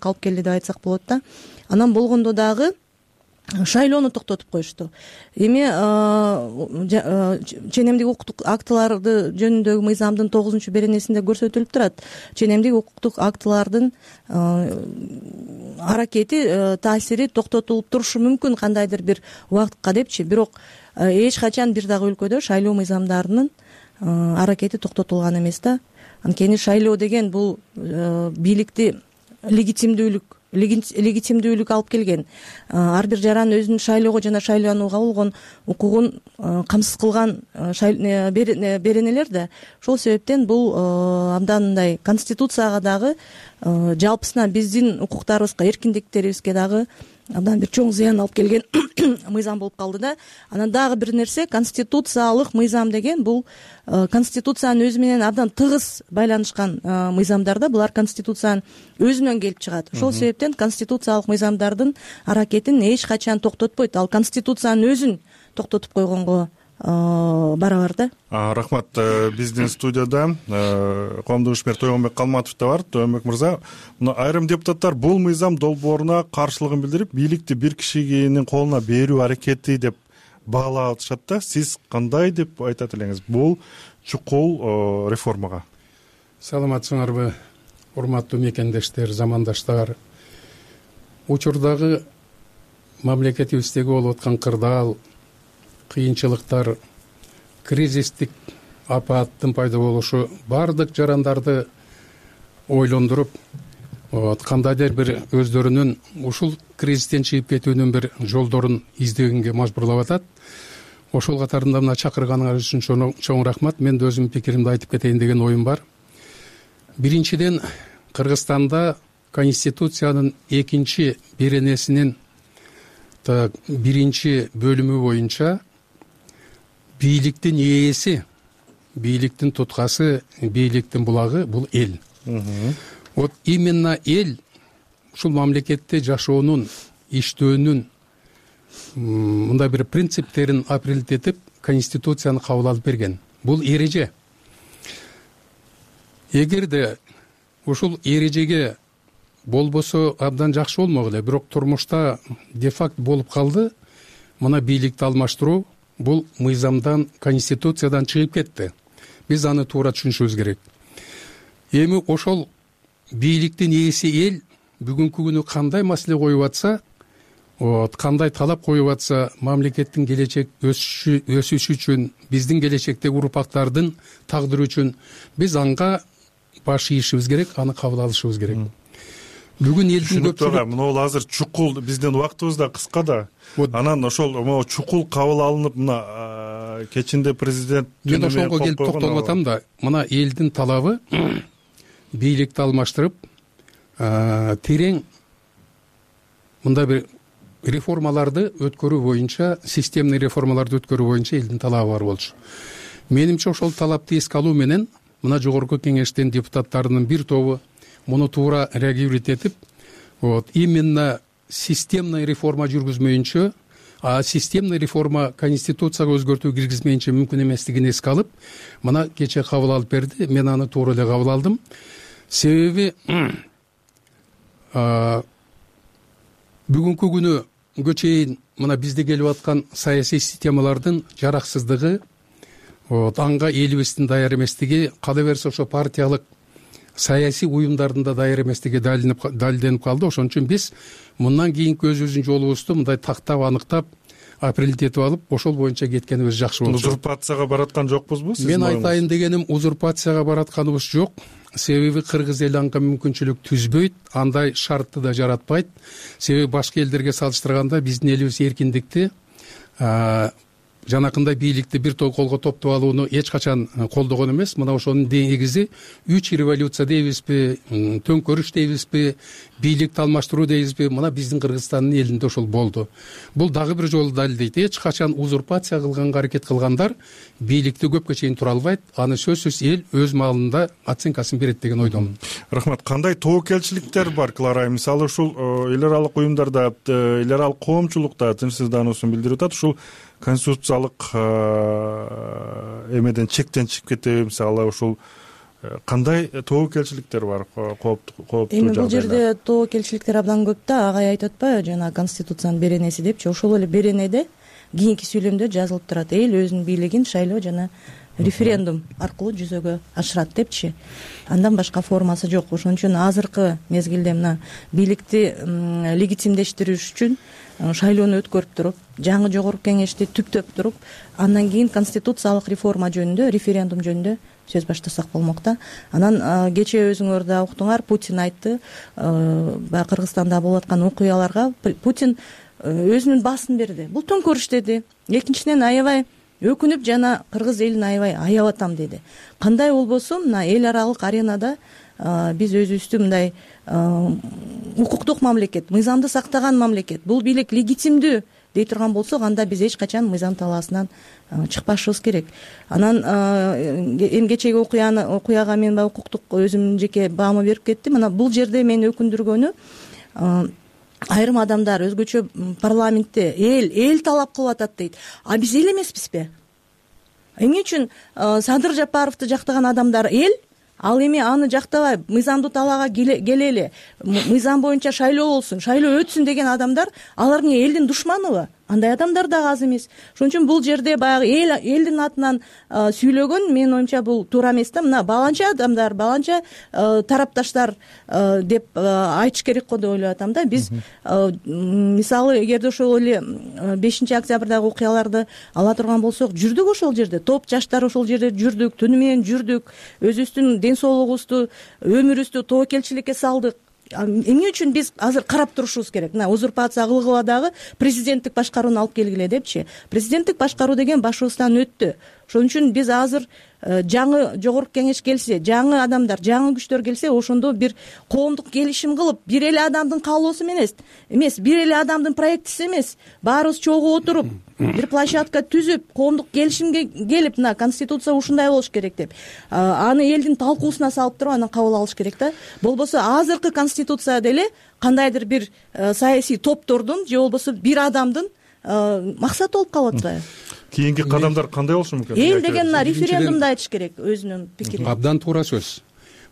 алып келди деп айтсак болот да. Анан болгондо дагы шайлоону токтотуп коюшту. Эми ченемдик укуктук актыларды жөнүндөгү мыйзамдын 9 беренесинде көрсөтүлүп турат. Ченемдик укуктук актылардын аракети, таасири токтотулуп турушу мүмкүн кандайдыр бир убакытка депчи. Бирок эч качан бир дагы өлкөдө шайлоо мыйзамдарынын аракети токтотулган эмес да. Анткени шайлоо деген бул бийликти легитимдүүлүк алып келген. Ар бир жаран өзүнүн шайлоого жана шайланууга болгон укугун камсыз кылган беренелер да. Ошол себептен бул абдан мындай Конституцияга дагы, жалпысынан биздин укуктарыбызга, эркиндиктерибизге дагы абдан бир чоң зыян алып келген мыйзам болуп калды да. Анан дагы бир нерсе, конституциялык мыйзам деген бул Конституциянын өзү менен абдан тыгыз байланышкан мыйзамдар да. Булар Конституциянын өзүнөн келип чыгат. Ошол себептен конституциялык мыйзамдардын аракетин эч качан токтотпойт. Ал Конституциянын өзүн токтотуп койгонго барабар да. Рахмат. Биздин студияда коомдук ишмер Тойгонбек Калматов да бар. Тойгонбек мырза, айрым депутаттар бул мыйзам долбооруна каршылыгын билдирип, бийликти бир кишинин колуна берүү аракети деп баалап атышат да. Сиз кандай деп айтат элеңиз бул чукул реформага? Саламатсыңарбы, урматтуу мекендештер, замандаштар. Учурдагы мамлекетибиздеги болуп аткан кырдаал, кыйынчылыктар, кризистик апааттын пайда болушу бардык жарандарды ойлондуруп, кандайдыр бир өздөрүнүн ушул кризистен чыгып кетүүнүн бир жолдорун издегенге мажбурлап атат. Ошол катарында мына чакырганыңар үчүн чоң рахмат. Мен да өзүмдүн пикиримди айтып кетейин деген оюм бар. Биринчиден, Кыргызстанда Конституциянын 2 беренесинин 1 бөлүмү боюнча бийликтин ээси, бийликтин туткасы, бийликтин булагы бул эл. Вот именно эл ушул мамлекетте жашоонун, иштөөнүн мындай бир принциптерин апрелит этип, Конституцияны кабыл алып берген. Бул эреже. Эгерде ушул эрежеге болбосо абдан жакшы болмок эле, бирок турмушта де-факт болуп калды. Мына бийликти алмаштыруу бул мыйзамдан, Конституциядан чыгып кетти. Биз аны туура түшүнүшүбүз керек. эми ошол бийликтин ээси эл бүгүнкү күнү кандай маселе коюп атса, кандай талап коюп атса, мамлекеттин келечек өсүшү үчүн, биздин келечектеги урпактардын тагдыры үчүн биз анга баш ийишибиз керек, аны кабыл алышыбыз керек. Бүгүн элдин көпчүлүгү мына азыр чукул, биздин убактыбыз да кыска да. Анан ошол могу чукул кабыл алынып, мына кечинде президент мен ошого келип токтолуп атам да. Мына элдин талабы бийликти алмаштырып, терең мындай бир реформаларды өткөрүү боюнча, системный реформаларды өткөрүү боюнча элдин талабы бар болчу. Менимче ошол талапты эске алуу менен мына жогорку кеңештин депутаттарынын бир тобу муну туура реагировать этип, именно системный реформа жүргүзмөйүнчө, системный реформа конституцияга өзгөртүү киргизмейинче мүмкүн эместигин эске алып, мына кече кабыл алып берди. Мен аны туура эле кабыл алдым. Себеби бүгүнкү күнгө чейин мына бизде келип аткан саясий системалардын жараксыздыгы, анга элибиздин даяр эместиги, кала берсе ошо партиялык саясий уюмдардын да даяр эместиги далилденип калды. Ошон үчүн биз мындан кийинки өзүбүздүн жолубузду мындай тактап, аныктап, определить этип алып, ошол боюнча кеткенибиз жакшы болчу. Узурпацияга бараткан жокпузбу? Мен айтайын дегеним, узурпацияга баратканыбыз жок. Себеби кыргыз эли анга мүмкүнчүлүк түзбөйт, андай шартты да жаратпайт. Себеби башка элдерге салыштырганда биздин элибиз эркиндикти, жанакындай бийликти бир колго топтоп алууну эч качан колдогон эмес. Мына ошонун негизи 3 революция дейбизби, төңкөрүш дейбизби, бийликти алмаштыруу дейбизби, мына биздин Кыргызстандын элинде ошол болду. Бул дагы бир жолу далилдейт. Эч качан узурпация кылганга аракет кылгандар бийликти көпкө чейин тура албайт. Аны сөзсүз эл өз маалында оценкасын берет деген ойдомун. Рахмат. Кандай тобокелчиликтер бар, Клара? Мисалы ушул эл аралык уюмдарда, эл аралык коомчулукта тынчсыздануусун билдирип атат. Ушул конституциялык эмеден чектен чыгып кетеби? Мисалы ушул кандай тобокелчиликтер бар, кооптуу эми бул жерде тобокелчиликтер абдан көп да. Агай айтып атпайбы, жана конституциянын беренеси депчи. Ошол эле беренеде кийинки сүйлөмдө жазылып турат. Эл өзүнүн бийлигин шайлоо жана референдум аркылуу жүзөгө ашырат депчи. Андан башка формасы жок. Ошон үчүн азыркы мезгилде мына бийликти легитимдештириш үчүн шайлоону өткөрүп туруп, жаңы жогорку кеңешти түптөп туруп, андан кийин конституциялык реформа жөнүндө, референдум жөнүндө сөз баштасак болмок да. Анан кече өзүңөр да уктуңар, Путин айтты, баягы Кыргызстанда болуп аткан окуяларга Путин өзүнүн баасын берди. Бул төңкөрүш деди. Экинчиден, аябай өкүнүп жана кыргыз элин аябай аяп атам деди. Кандай болбосун, мына эл аралык аренада биз өзүбүздү мындай укуктук мамлекет, мыйзамды сактаган мамлекет, бул бийлик легитимдүү дей турган болсок, анда биз эч качан мыйзам талаасынан чыкпашыбыз керек. Анан эми кечеги окуяга мен баягы укуктук өзүмдүн жеке баамы берип кеттим. Мына бул жерде мени өкүндүргөнү, айрым адамдар өзгөчө парламентте эл талап кылып атат дейт. А биз эл эмеспизби? Эмне үчүн Садыр Жапаровду жактаган адамдар эл, ал эми аны жактабай мыйзамдуу талаага келели, мыйзам боюнча шайлоо болсун, шайлоо өтсүн деген адамдар, алар эмне элдин душманыбы? Андай адамдар да аз эмес. Ошон үчүн бул жерде баягы элдин атынан сүйлөгөн, менин оюмча, бул туура эмес да. Мына баланча адамдар, баланча тарапташтар деп айтыш керек го деп ойлоп атам да. Биз мисалы эгерде ошол эле 5-октябрдагы окуяларды ала турган болсок, жүрдүк ошол жерде, топ жаштар ошол жерде жүрдүк, түнү менен жүрдүк, өзүбүздүн ден соолугубузду, өмүрүбүздү тобокелчиликке салдык. Эмне үчүн биз азыр карап турушубуз керек? Мына узурпация кылгыла дагы президенттик башкарууну алып келгиле депчи. Президенттик башкаруу деген башыбыздан өттү. Ошон үчүн биз азыр жаңы жогорку кеңеш келсе, жаңы адамдар, жаңы күчтөр келсе, ошондо бир коомдук келишим кылып, бир эле адамдын каалоосу эмес, бир эле адамдын проектиси эмес, баарыбыз чогуу отуруп, бир площадка түзүп, коомдук келишимге келип, мына конституция ушундай болуш керек деп, аны элдин талкуусуна салып туруп, анан кабыл алыш керек да. Болбосо азыркы конституция деле кандайдыр бир саясий топтордун же болбосо бир адамдын максаты болуп калып атпайбы? Кийинки кадамдар кандай болушу мүмкүн? Эл деген мына референдумду айтыш керек, өзүнүн пикирин. Абдан туура сөз.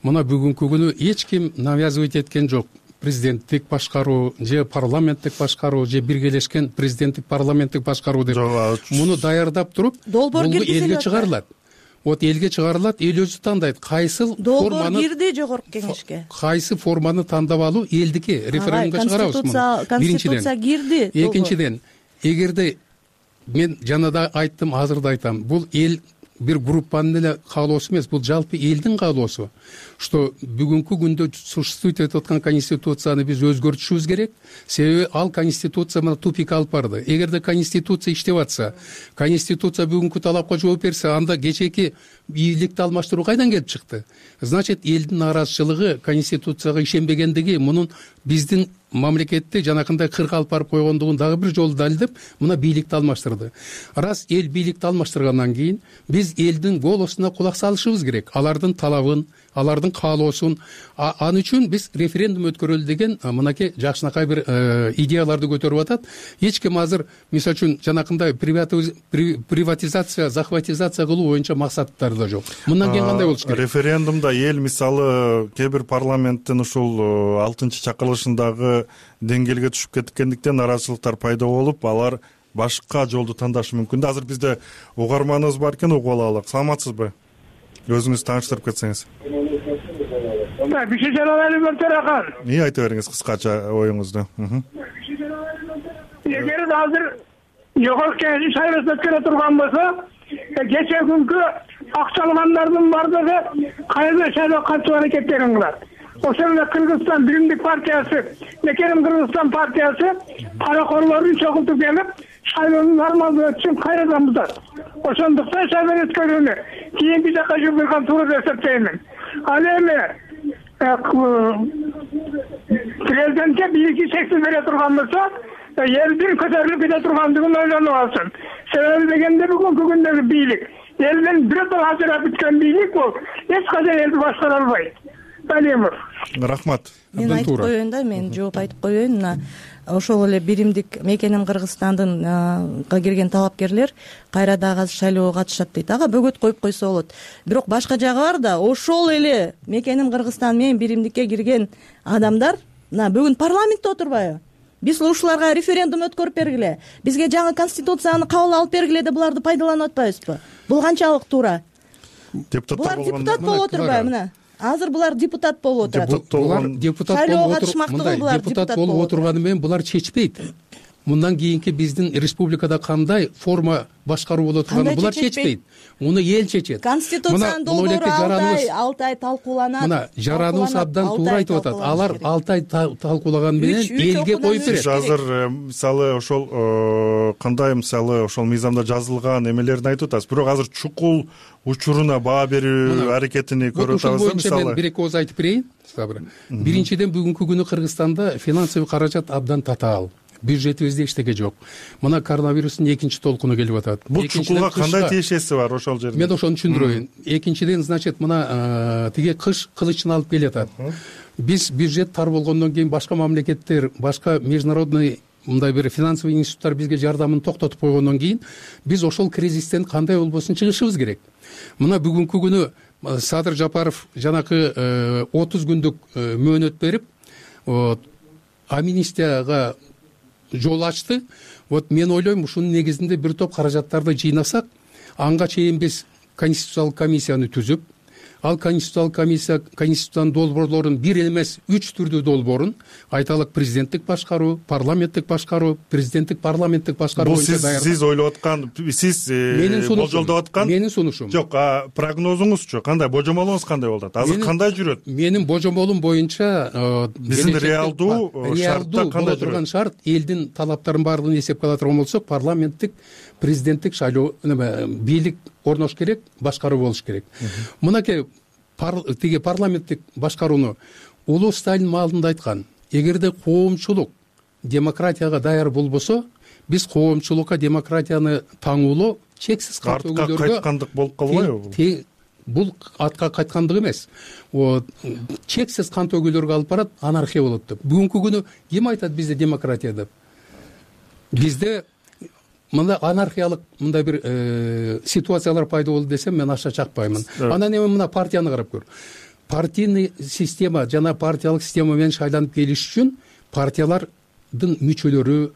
Мына бүгүнкү күнү эч ким навязывать эткен жок. Президенттик башкаруу же парламенттик башкаруу же биргелешкен президенттик парламенттик башкаруу деп муну даярдап туруп, долбоор киргизилет, элге чыгарылат. вот элге чыгарылат, эл өзү тандайт кайсыл долбоор кирди жогорку кеңешке. Кайсы форманы тандап алуу элдики, референдумга чыгарабыз муну. Конституция кирди. Экинчиден, эгерде мен жана да айттым, азыр да айтам, бул эл бир группанын эле каалоосу эмес, бул жалпы элдин каалоосу, что бүгүнкү күндө существует этип аткан конституцияны биз өзгөртүшүбүз керек. Себеби ал конституция мына тупикке алып барды. Эгерде конституция иштеп атса, конституция бүгүнкү талапка жооп берсе, анда кечээки бийликти алмаштыруу кайдан келип чыкты? Значит, элдин нааразычылыгы конституцияга ишенбегендиги мунун биздин мамлекетти жанакындай кырга алып барып койгондугун дагы бир жолу далилдеп, мына бийликти алмаштырды. Раз эл бийликти алмаштыргандан кийин биз элдин голосуна кулак салышыбыз керек. Алардын талабын, алардын каалоосун. Аны үчүн биз референдум өткөрөлү деген мынакей жакшынакай бир идеяларды көтөрүп атат. Эч ким азыр мисалы үчүн жанакындай приватизация, захватизация кылуу боюнча максаттары да жок. Мындан кийин кандай болуш керек? Референдумда эл мисалы кээ бир парламенттин ушул 6-чакырылышындагы деңгээлге түшүп кеткендиктен нааразычылыктар пайда болуп, алар башка жолду тандашы мүмкүн да. Азыр бизде угарманыбыз бар экен, угуп алалык. Саламатсызбы? Өзүңүз тааныштырып кетсеңиз. Айта бериңиз кыскача оюңузду. Эгер азыр жогорку кеңештин шайлоосу өткөрө турган болсо, кечээ күнкү акчалгандардын бардыгы кайра шайлоого катышуу аракеттерин кылат. Ошол эле Кыргызстан Биримдик партиясы, Мекеним Кыргызстан партиясы паракорлорун чогултуп келип, шайлоонун нормалдуу өтүшүн кайрадан бузат. Ошондуктан шайлоо өткөрүүнү кийинки жакка жүргүзгөн туура деп эсептеймин. Ал эми президентке бийликти чексиз бере турган болсо, элдин көтөрүлүп кете тургандыгын ойлонуп алсын. Себеби дегенде бүгүнкү күндөгү бийлик, элдин бирөө ажырап бүткөн бийлик бул эч качан элди башкара албайт. Рахмат. Мен айтып коеюн да, мен жооп айтып коеюн. Мына ошол эле Биримдик Мекеним Кыргызстандын кирген талапкерлер кайра дагы шайлоого катышат дейт. Ага бөгөт коюп койсо болот. Бирок башка жагы бар да, ошол эле Мекеним Кыргызстан менен Биримдикке кирген адамдар мына бүгүн парламентте отурбайбы? Биз ушуларга референдум өткөрүп бергиле, бизге жаңы конституцияны кабыл алып бергиле деп буларды пайдаланып атпайбызбы? Бул канчалык туура? Булар депутат болуп отурбайбы мына? Азыр булар депутат болуп отурат. Булар депутат болуп отурганы менен булар чечпейт. Мындан кийинки биздин республикада кандай форма башкаруу боло турганын булар чечпейт. Муну эл чечет. Конституциянын долбоору 6 ай талкууланат. Мына жараныбыз абдан туура айтып атат. Алар 6 ай талкуулаган менен элге коюп берет. Азыр мисалы ошол кандай мисалы ошол мыйзамда жазылган эмелерин айтып атасыз. Бирок азыр чукул учуруна баа берүү аракетини көрүп атабыз. Мисалы мен бир-эки ооз айтып берейин. Биринчиден бүгүнкү күнү Кыргызстанда финансовый каражат абдан татаал. Бюджетибизде эчтеке жок. Мына коронавирустун экинчи толкуну келип атат. Бул чукулга кандай тиешеси бар ошол жерде? Мен ошону түшүндүрөйүн. Экинчиден, значит, мына тиги кыш кылычын алып келатат. Биз бюджет тар болгондон кийин башка мамлекеттер, башка международный мындай бир финансовый институттар бизге жардамын токтотуп койгондон кийин биз ошол кризистен кандай болбосун чыгышыбыз керек. Мына бүгүнкү күнү Садыр Жапаров жанакы 30 күндүк мөөнөт берип, амнистияга жол ачты. Вот мен ойлойм, ушунун негизинде бир топ каражаттарды жыйнасак, анга чейин биз конституциялык комиссияны түзүп, ал конституциялык комиссия конституциянын долбоорлорун бир эмес 3 түрдүү долбоорун, айталык президенттик башкаруу, парламенттик башкаруу, президенттик парламенттик башкаруу боюнча даярдап. Бул сиз ойлоп аткан, сиз болжолдоп аткан? Менин сунушум. Жок, прогнозуңузчу кандай, божомолуңуз кандай болот? Азыр кандай жүрөт? Менин божомолум боюнча биздин реалдуу шартта кандай турган шарт, элдин талаптарын баардыгын эсепке ала турган болсок, парламенттик, президенттик шайлоо, бийлик орнош керек, башкаруу болуш керек. Мынакей тиги парламенттик башкарууну Улуу Сталин маалында айткан, эгерде коомчулук демократияга даяр болбосо, биз коомчулукка демократияны таңуулоо чексиз артка кайткандык болуп калбайбы? Бул артка кайткандык эмес. Чексиз кан төгүүлөргө алып барат, анархия болот деп. Бүгүнкү күнү ким айтат бизде демократия деп? Бизде мындай анархиялык мындай бир ситуациялар пайда болду десем, мен аша чакпаймын. Анан эми мына партияны карап көр. Партийный система жана партиялык система менен шайланып келиш үчүн партиялардын мүчөлөрү,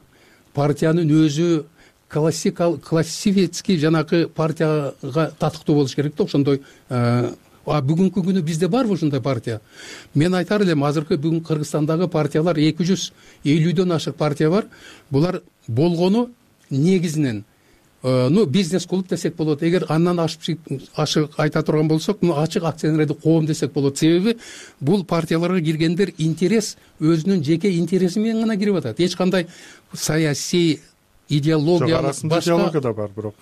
партиянын өзү классический жанагы партияга татыктуу болуш керек да. Ошондой бүгүнкү күнү бизде барбы ушундай партия? Мен айтар элем, азыркы бүгүн Кыргызстандагы партиялар 250дөн ашык партия бар. Булар болгону негизинен бизнес клуб десек болот. Эгер андан ашык айта турган болсок, ачык акционердик коом десек болот. Себеби бул партияларга киргендер интерес, өзүнүн жеке интереси менен гана кирип атат. Эч кандай саясий идеология башка идеология да бар, бирок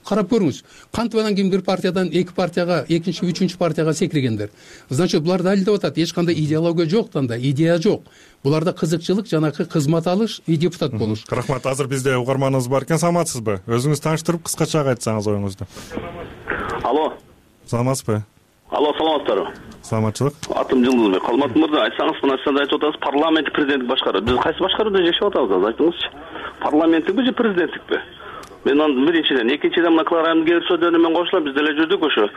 карап көрүңүз, кантип анан кийин бир партиядан эки партияга, экинчи, үчүнчү партияга секиргендер. Значит, булар далилдеп атат, эч кандай идеология жок, танда идея жок. Буларда кызыкчылык, жанагы кызмат алыш и депутат болуш. Рахмат. Азыр бизде угарманыбыз бар экен. Саламатсызбы? Өзүңүз тааныштырып, кыскача айтсаңыз оюңузду. Алло. Саламатсызбы? Алло, саламатсыздарбы? Саламатчылык. Атым Жылдызбек. Калмат мырза, айтсаңыз, мына сиз айтып атасыз, парламенттик президенттик башкаруу. Биз кайсы башкарууда жашап атабыз, айтыңызчы. Парламенттикпи же президенттикпи? Мен аны биринчиден, экинчиден мына Кларайымдын кээ бир сөздөрүнө мен кошулам, биз деле жүрдүк ошо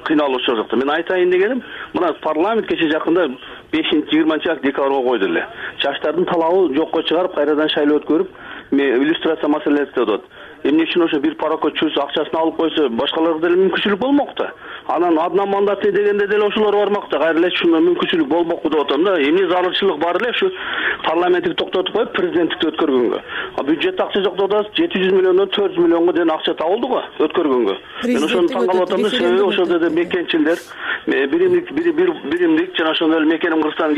кыйналуучу жакта. Мен айтайын дегеним, мына парламент кече жакында 5-20 декабрга койду эле. Жаштардын талабы жокко чыгарып, кайрадан шайлоо өткөрүп, иллюстрация маселеси деп атат. Эмне үчүн ошо бир парокко чөз акчасын алып койсо, башкаларга деле мүмкүнчүлүк болмок да. Анан одна мандаты дегенде деле ошолор бармак да. Кайра эле ушундай мүмкүнчүлүк болмокпу деп атам да. Эмне зарылчылык бар эле ушу парламенттик токтотуп коюп, президенттикти өткөргөнгө. Бюджетте акча жок деп атасыз, 700 миллиондон 400 миллионго дейин акча табылды го өткөргөнгө. Мен ошону таң калып атам да. Себеби ошол жерде мекенчилдер, биримдик жана ошондой эле мекеним Кыргызстан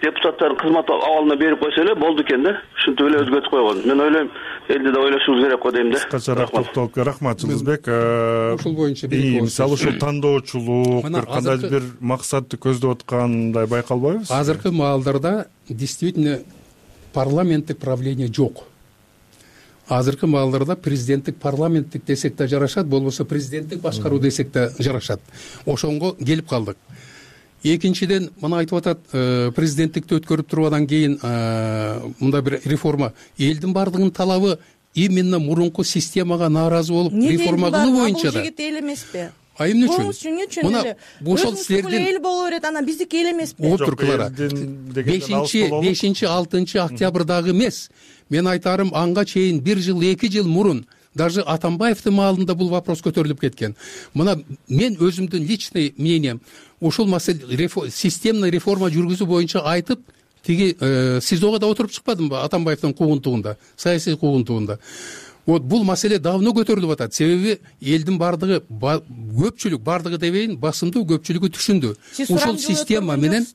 депутаттарын кызмат абалына берип койсо эле болду экен да. Ушинтип эле өзгөртүп койгон. Мен ойлойм, элди да ойлошубуз керек го дейм да. Кычараак токтолуп, рахмат Жылдызбек. Ушул боюнча мисалы ушул тандоочулук, бир кандайдыр бир максатты көздөп аткандай байкалбайбы? Азыркы маалдарда действительно парламенттик правление жок. Азыркы маалдарда президенттик парламенттик десек да жарашат, болбосо президенттик башкаруу десек да жарашат. Ошонго келип калдык. Экинчиден, мына айтып атат, президенттикти өткөрүп тургандан кийин мындай бир реформа. Элдин бардыгынын талабы именно мурунку системага нааразы болуп реформа кылуу боюнча да. Бул жигит эл эмеспи? Эмне үчүн? Мына ошол силердин эл боло берет, анан биздики эл эмеспи? Отур Клара. 5-6 октябрдагы эмес. Мен айтарым, анга чейин 1 жыл, 2 жыл мурун даже Атамбаевдин маалында бул вопрос көтөрүлүп кеткен. Мына мен өзүмдүн личный мнением, ушул маселе системный реформа жүргүзүү боюнча айтып, тиги СИЗОго да отуруп чыкпадымбы Атамбаевдин куугунтугунда, саясий куугунтугунда. Вот бул маселе давно көтөрүлүп атат. Себеби элдин бардыгы, көпчүлүк бардыгы дебейин, басымдуу көпчүлүгү түшүндү. Ушул система менен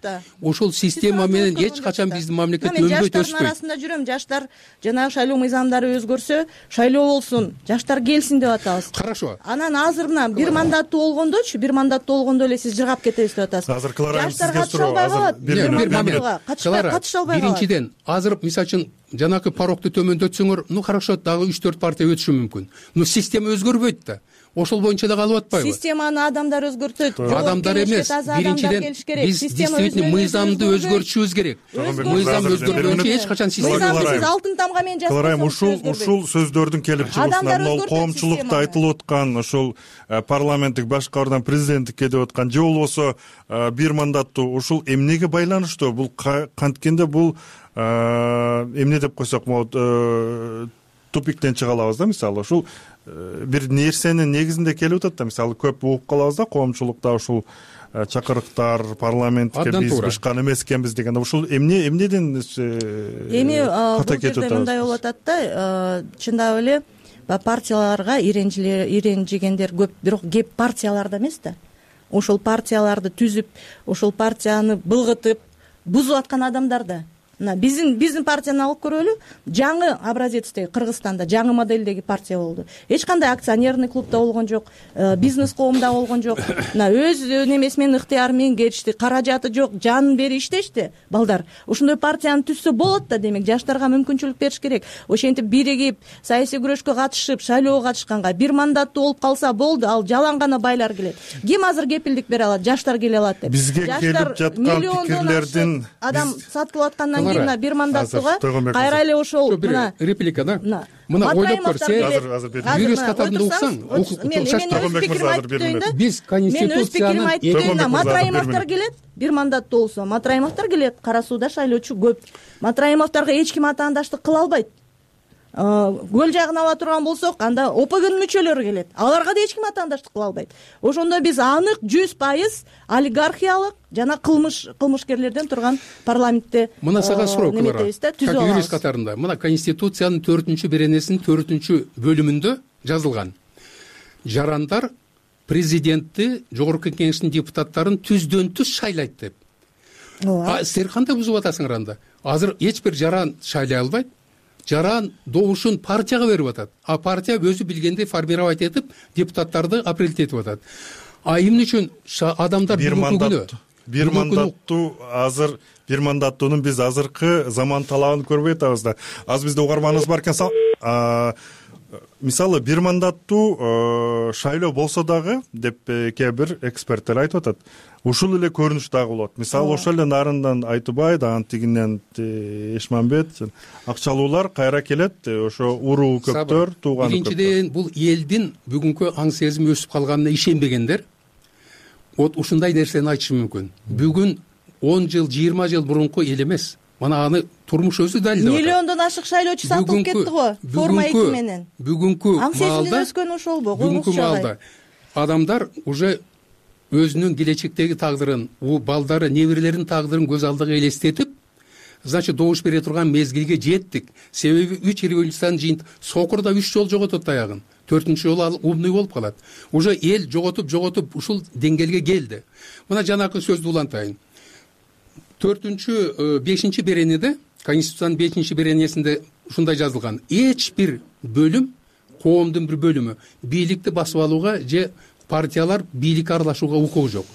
эч качан биздин мамлекет өнбөйт, өспөйт. Жаштардын арасында жүрөм, жаштар жанагы шайлоо мыйзамдары өзгөрсө, шайлоо болсун, жаштар келсин деп атабыз. Хорошо. Анан азыр мына бир мандаттуу болгондо эле сиз жыргап кетебиз деп атасыз. Азыр Кларайым сизге суроо, азыр бир момент. Катышалбай калат. Биринчиден, азыр мисалы үчүн жанагы порогду төмөндөтсөңөр, хорошо, дагы 3-4 партия өтүшү мүмкүн. Но система өзгөрбөйт да. Ошол боюнча да калып атпайбы? Системаны адамдар өзгөртөт. Адамдар эмес. Биринчиден биз действительно мыйзамды өзгөртүшүбүз керек. Мыйзам өзгөргөнчө эч качан система. Сиз алтын тамга менен жазып Кларайым, ушул сөздөрдүн келип чыгуусунан, могул коомчулукта айтылып аткан, ушул парламенттик башкаруудан президенттикке деп аткан, же болбосо бир мандаттуу, ушул эмнеге байланыштуу? Бул канткенде бул эмне деп койсок болот, тупиктен чыга алабыз да. Мисалы ушул бир нерсенин негизинде келип атат да. Мисалы көп угуп калабыз да, коомчулукта ушул чакырыктар парламентке биз бышкан эмес экенбиз деген. Ушул эмнеден эми бул жерде мындай болуп атат да, чындап эле партияларга иренжигендер көп, бирок кеп партияларда эмес да. Ошол партияларды түзүп, ошол партияны былгытып, бузуп аткан адамдар да. Мына биздин партияны алып көрөлү. Жаңы образецтеги Кыргызстанда жаңы моделдеги партия болду. Эч кандай акционерный клубда болгон жок, бизнес коомдо болгон жок. Мына өз немеси менен ыктыяры менен кетишти, каражаты жок, жанын берип иштешти балдар. Ошондой партияны түзсө болот да, демек жаштарга мүмкүнчүлүк бериш керек. Ошентип биригип, саясий күрөшкө катышып, шайлоого катышканга бир мандаттуу болуп калса болду, ал жалаң гана байлар келет. Ким азыр кепилдик бере алат? Жаштар келе алат деп. Бизге келип жаткан пикирлердин адам сатылып аткандан кийин бир мандаттууга кайра эле ошол мына реплика да. Мына ойлоп көр, сен юрист катарында уксаң, биз конституцияны Матраимовдор келет, бир мандаттуу болсо Матраимовдор келет, Кара сууда шайлоочу көп. Матраимовдорго эч ким атаандаштык кыла албайт. көл жагын ала турган болсок, анда ОПГнын мүчөлөрү келет. Аларга да эч ким атаандаштык кыла албайт. Ошондо биз анык 100% олигархиялык жана кылмышкерлерден турган парламентте мына сага суроо неметебиз да, түзүп как алабыз. юрист катарында мына Конституциянын 4-беренесинин 4-бөлүмүндө жазылган. Жарандар президентти, жогорку кеңештин депутаттарын түздөн-түз шайлайт деп. Силер кандай бузуп атасыңар анда? Азыр эч бир жаран шайлай албайт. Жаран добушун партияга берип атат. А партия өзү билгендей формировать этип, депутаттарды аппарелить этип атат. Эмне үчүн адамдар бир мандаттуунун биз азыркы заман талабын көрбөй атабыз да. Азыр бизде угарманыбыз бар экен. Мисалы бир мандаттуу шайлоо болсо дагы деп кээ бир эксперттер айтып атат. Ушул эле көрүнүш дагы болот. Мисалы ошол эле Нарындан Айтыбай, дагы тигинен Эшмамбет, акчалуулар кайра келет, ошо уруу көптөр, тууган көптөр. Биринчиден бул элдин бүгүнкү аң сезими өсүп калганына ишенбегендер ушундай нерсени айтышы мүмкүн. Бүгүн 10 жыл, 20 жыл мурунку эл эмес. Мына аны турмуш өзү далилдеп атат. Миллиондон ашык шайлоочу сатылып кетти го, форма 2 менен. Бүгүнкү аң сезимден өскөн ошолбу? Бүгүнкү маалда адамдар уже өзүнүн келечектеги тагдырын, балдары, неберелеринин тагдырын көз алдыга элестетип, значит, добуш бере турган мезгилге жеттик. Себеби 3 революциянын жыйынтыгы сокурда 3 жолу жоготот аягын. 4-чү жолу ал умный болуп калат. Уже эл жоготуп ушул деңгээлге келди. Мына жанакы сөздү улантайын. 5-чи беренеде, Конституциянын 5-чи беренесинде ушундай жазылган. Эч бир бөлүм, коомдун бир бөлүмү бийликти басып алууга же партиялар бийликке аралашууга укугу жок.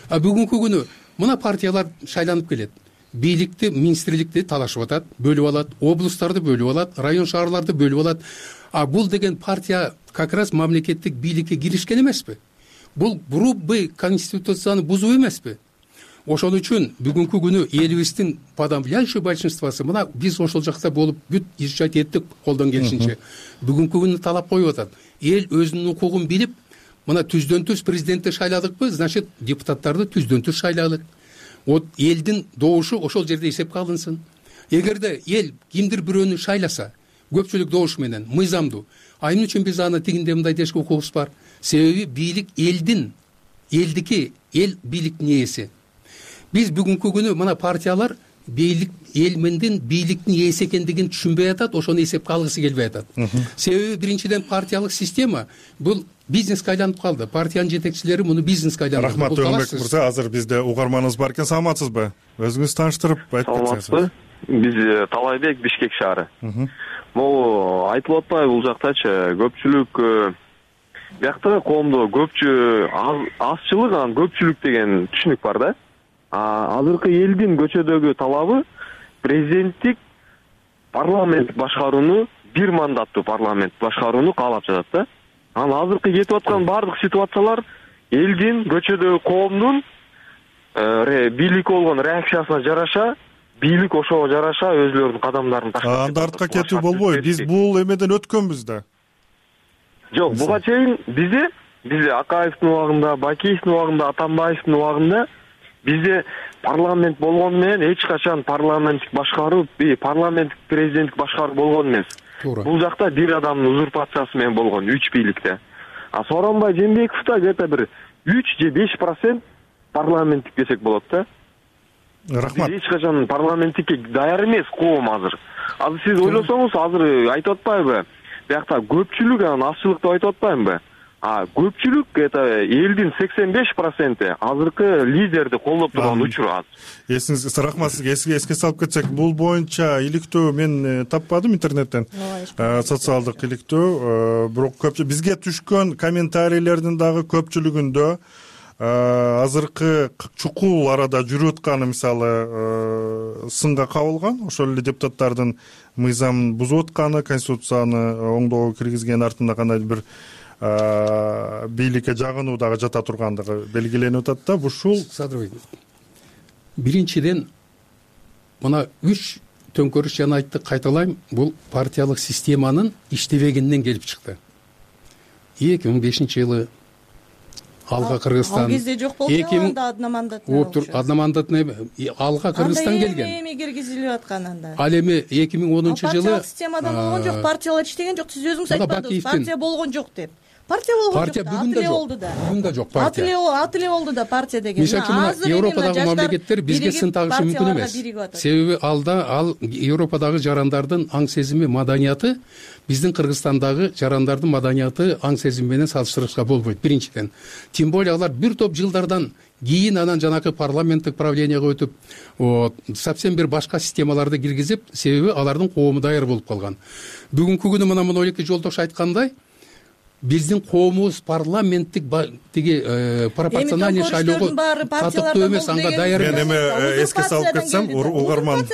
Бүгүнкү күнү мына партиялар шайланып келет. Бийликти, министрликти талашып атат, бөлүп алат, облустарды бөлүп алат, район шаарларды бөлүп алат. Бул деген партия как раз мамлекеттик бийликке киришкен эмеспи? Бул грубый конституцияны бузуу эмеспи? Ошон үчүн бүгүнкү күнү элибиздин подавляющий большинствосу мына биз ошол жакта болуп бүт изучать эттик колдон келишинче. Бүгүнкү күнү талап коюп атат. Эл өзүнүн укугун билип, мына түздөн-түз президентти шайладыкпы, значит, депутаттарды түздөн-түз шайлайлык. Элдин добушу ошол жерде эсепке алынсын. Эгерде эл кимдир бирөөнү шайласа, көпчүлүк добуш менен, мыйзамдуу, эмне үчүн биз аны тигиндей мындай дешке укугубуз бар? Себеби бийлик элдики, эл бийликтин ээси. Биз бүгүнкү күнү мына партиялар элмендин бийликтин ээси экендигин түшүнбөй атат, ошону эсепке алгысы келбей атат. Себеби биринчиден партиялык система бул бизнеске айланып калды. Партиянын жетекчилери муну бизнеске айландырды. Рахмат Өңбек мырза, азыр бизде угарманыбыз бар экен. Саламатсызбы? Өзүңүз тааныштырып айтып кетсеңиз. Саламатсызбы? Биз Талайбек, Бишкек шаары. Могу айтылып атпайбы бул жактачы көпчүлүк биякта коомдо азчылык, анан көпчүлүк деген түшүнүк бар да. Азыркы элдин көчөдөгү талабы президенттик парламент башкарууну, бир мандаттуу парламент башкарууну каалап жатат да. Анан азыркы кетип аткан баардык ситуациялар элдин көчөдөгү коомдун бийликке болгон реакциясына жараша, бийлик ошого жараша өзүлөрүнүн кадамдарын таштап. Анда артка кетүү болбойбу. Биз бул эмеден өткөнбүз да. Жок, буга чейин бизде Акаевдин убагында, Бакиевдин убагында, Атамбаевдин убагында бизде парламент болгону менен эч качан парламенттик башкаруу, парламенттик президенттик башкаруу болгон эмес. Бул жакта бир адамдын узурпациясы менен болгон 3 бийликте. Сооронбай Жээнбековдо где-то бир 3 же 5% парламенттик десек болот да. Рахмат. Эч качан парламенттикке даяр эмес коом азыр. Азыр сиз ойлосоңуз, азыр айтып атпайбы? Биякта көпчүлүк анан азчылык деп айтып атпаймынбы? Көпчүлүк это элдин 85% азыркы лидерди колдоп турган учур аз. Эсиңизге рахмат, сизге эске салып кетсек, бул боюнча иликтөө мен таппадым интернеттен. Социалдык иликтөө, бирок көпчү бизге түшкөн комментарийлердин дагы көпчүлүгүндө азыркы чукул арада жүрүп атканы мисалы сынга кабылган. Ошол эле депутаттардын мыйзам бузуп атканы, конституцияны оңдоого киргизген артында кандайдыр бир бийликке жагынуу дагы жата тургандыгы белгиленип атат да. Ушул биринчиден мына 3 төңкөрүш жана айттык, кайталайм, бул партиялык системанын иштебегенден келип чыкты. 2005-жылы алга Кыргызстан ал кезде жок болчу анда одномандатный алга Кыргызстан келген. Эми киргизилип аткан анда. Ал эми 2010 жылы партиялык системада болгон жок, партиялар иштеген жок. Сиз өзүңүз айтпадыңыз, партия болгон жок деп. Партия болгон жок. Бүгүн да жок. Бүгүн да жок партия. Ат эле болду да партия деген. Азыр Европадагы мамлекеттер бизге сын тагышы мүмкүн эмес. Себеби ал Европадагы жарандардын аң сезими, маданияты биздин Кыргызстандагы жарандардын маданияты, аң сезими менен салыштырышка болбойт. Биринчиден, тем более алар бир топ жылдардан кийин анан жанакы парламенттик правлениеге өтүп, совсем бир башка системаларды киргизип, себеби алардын коому даяр болуп калган. Бүгүнкү күнү мына Монолики жолдош айткандай, биздин коомубуз парламенттик пропорциональный шайлоого татыктуу эмес, анга даяр. Мен эми эске салып кетсем, угарман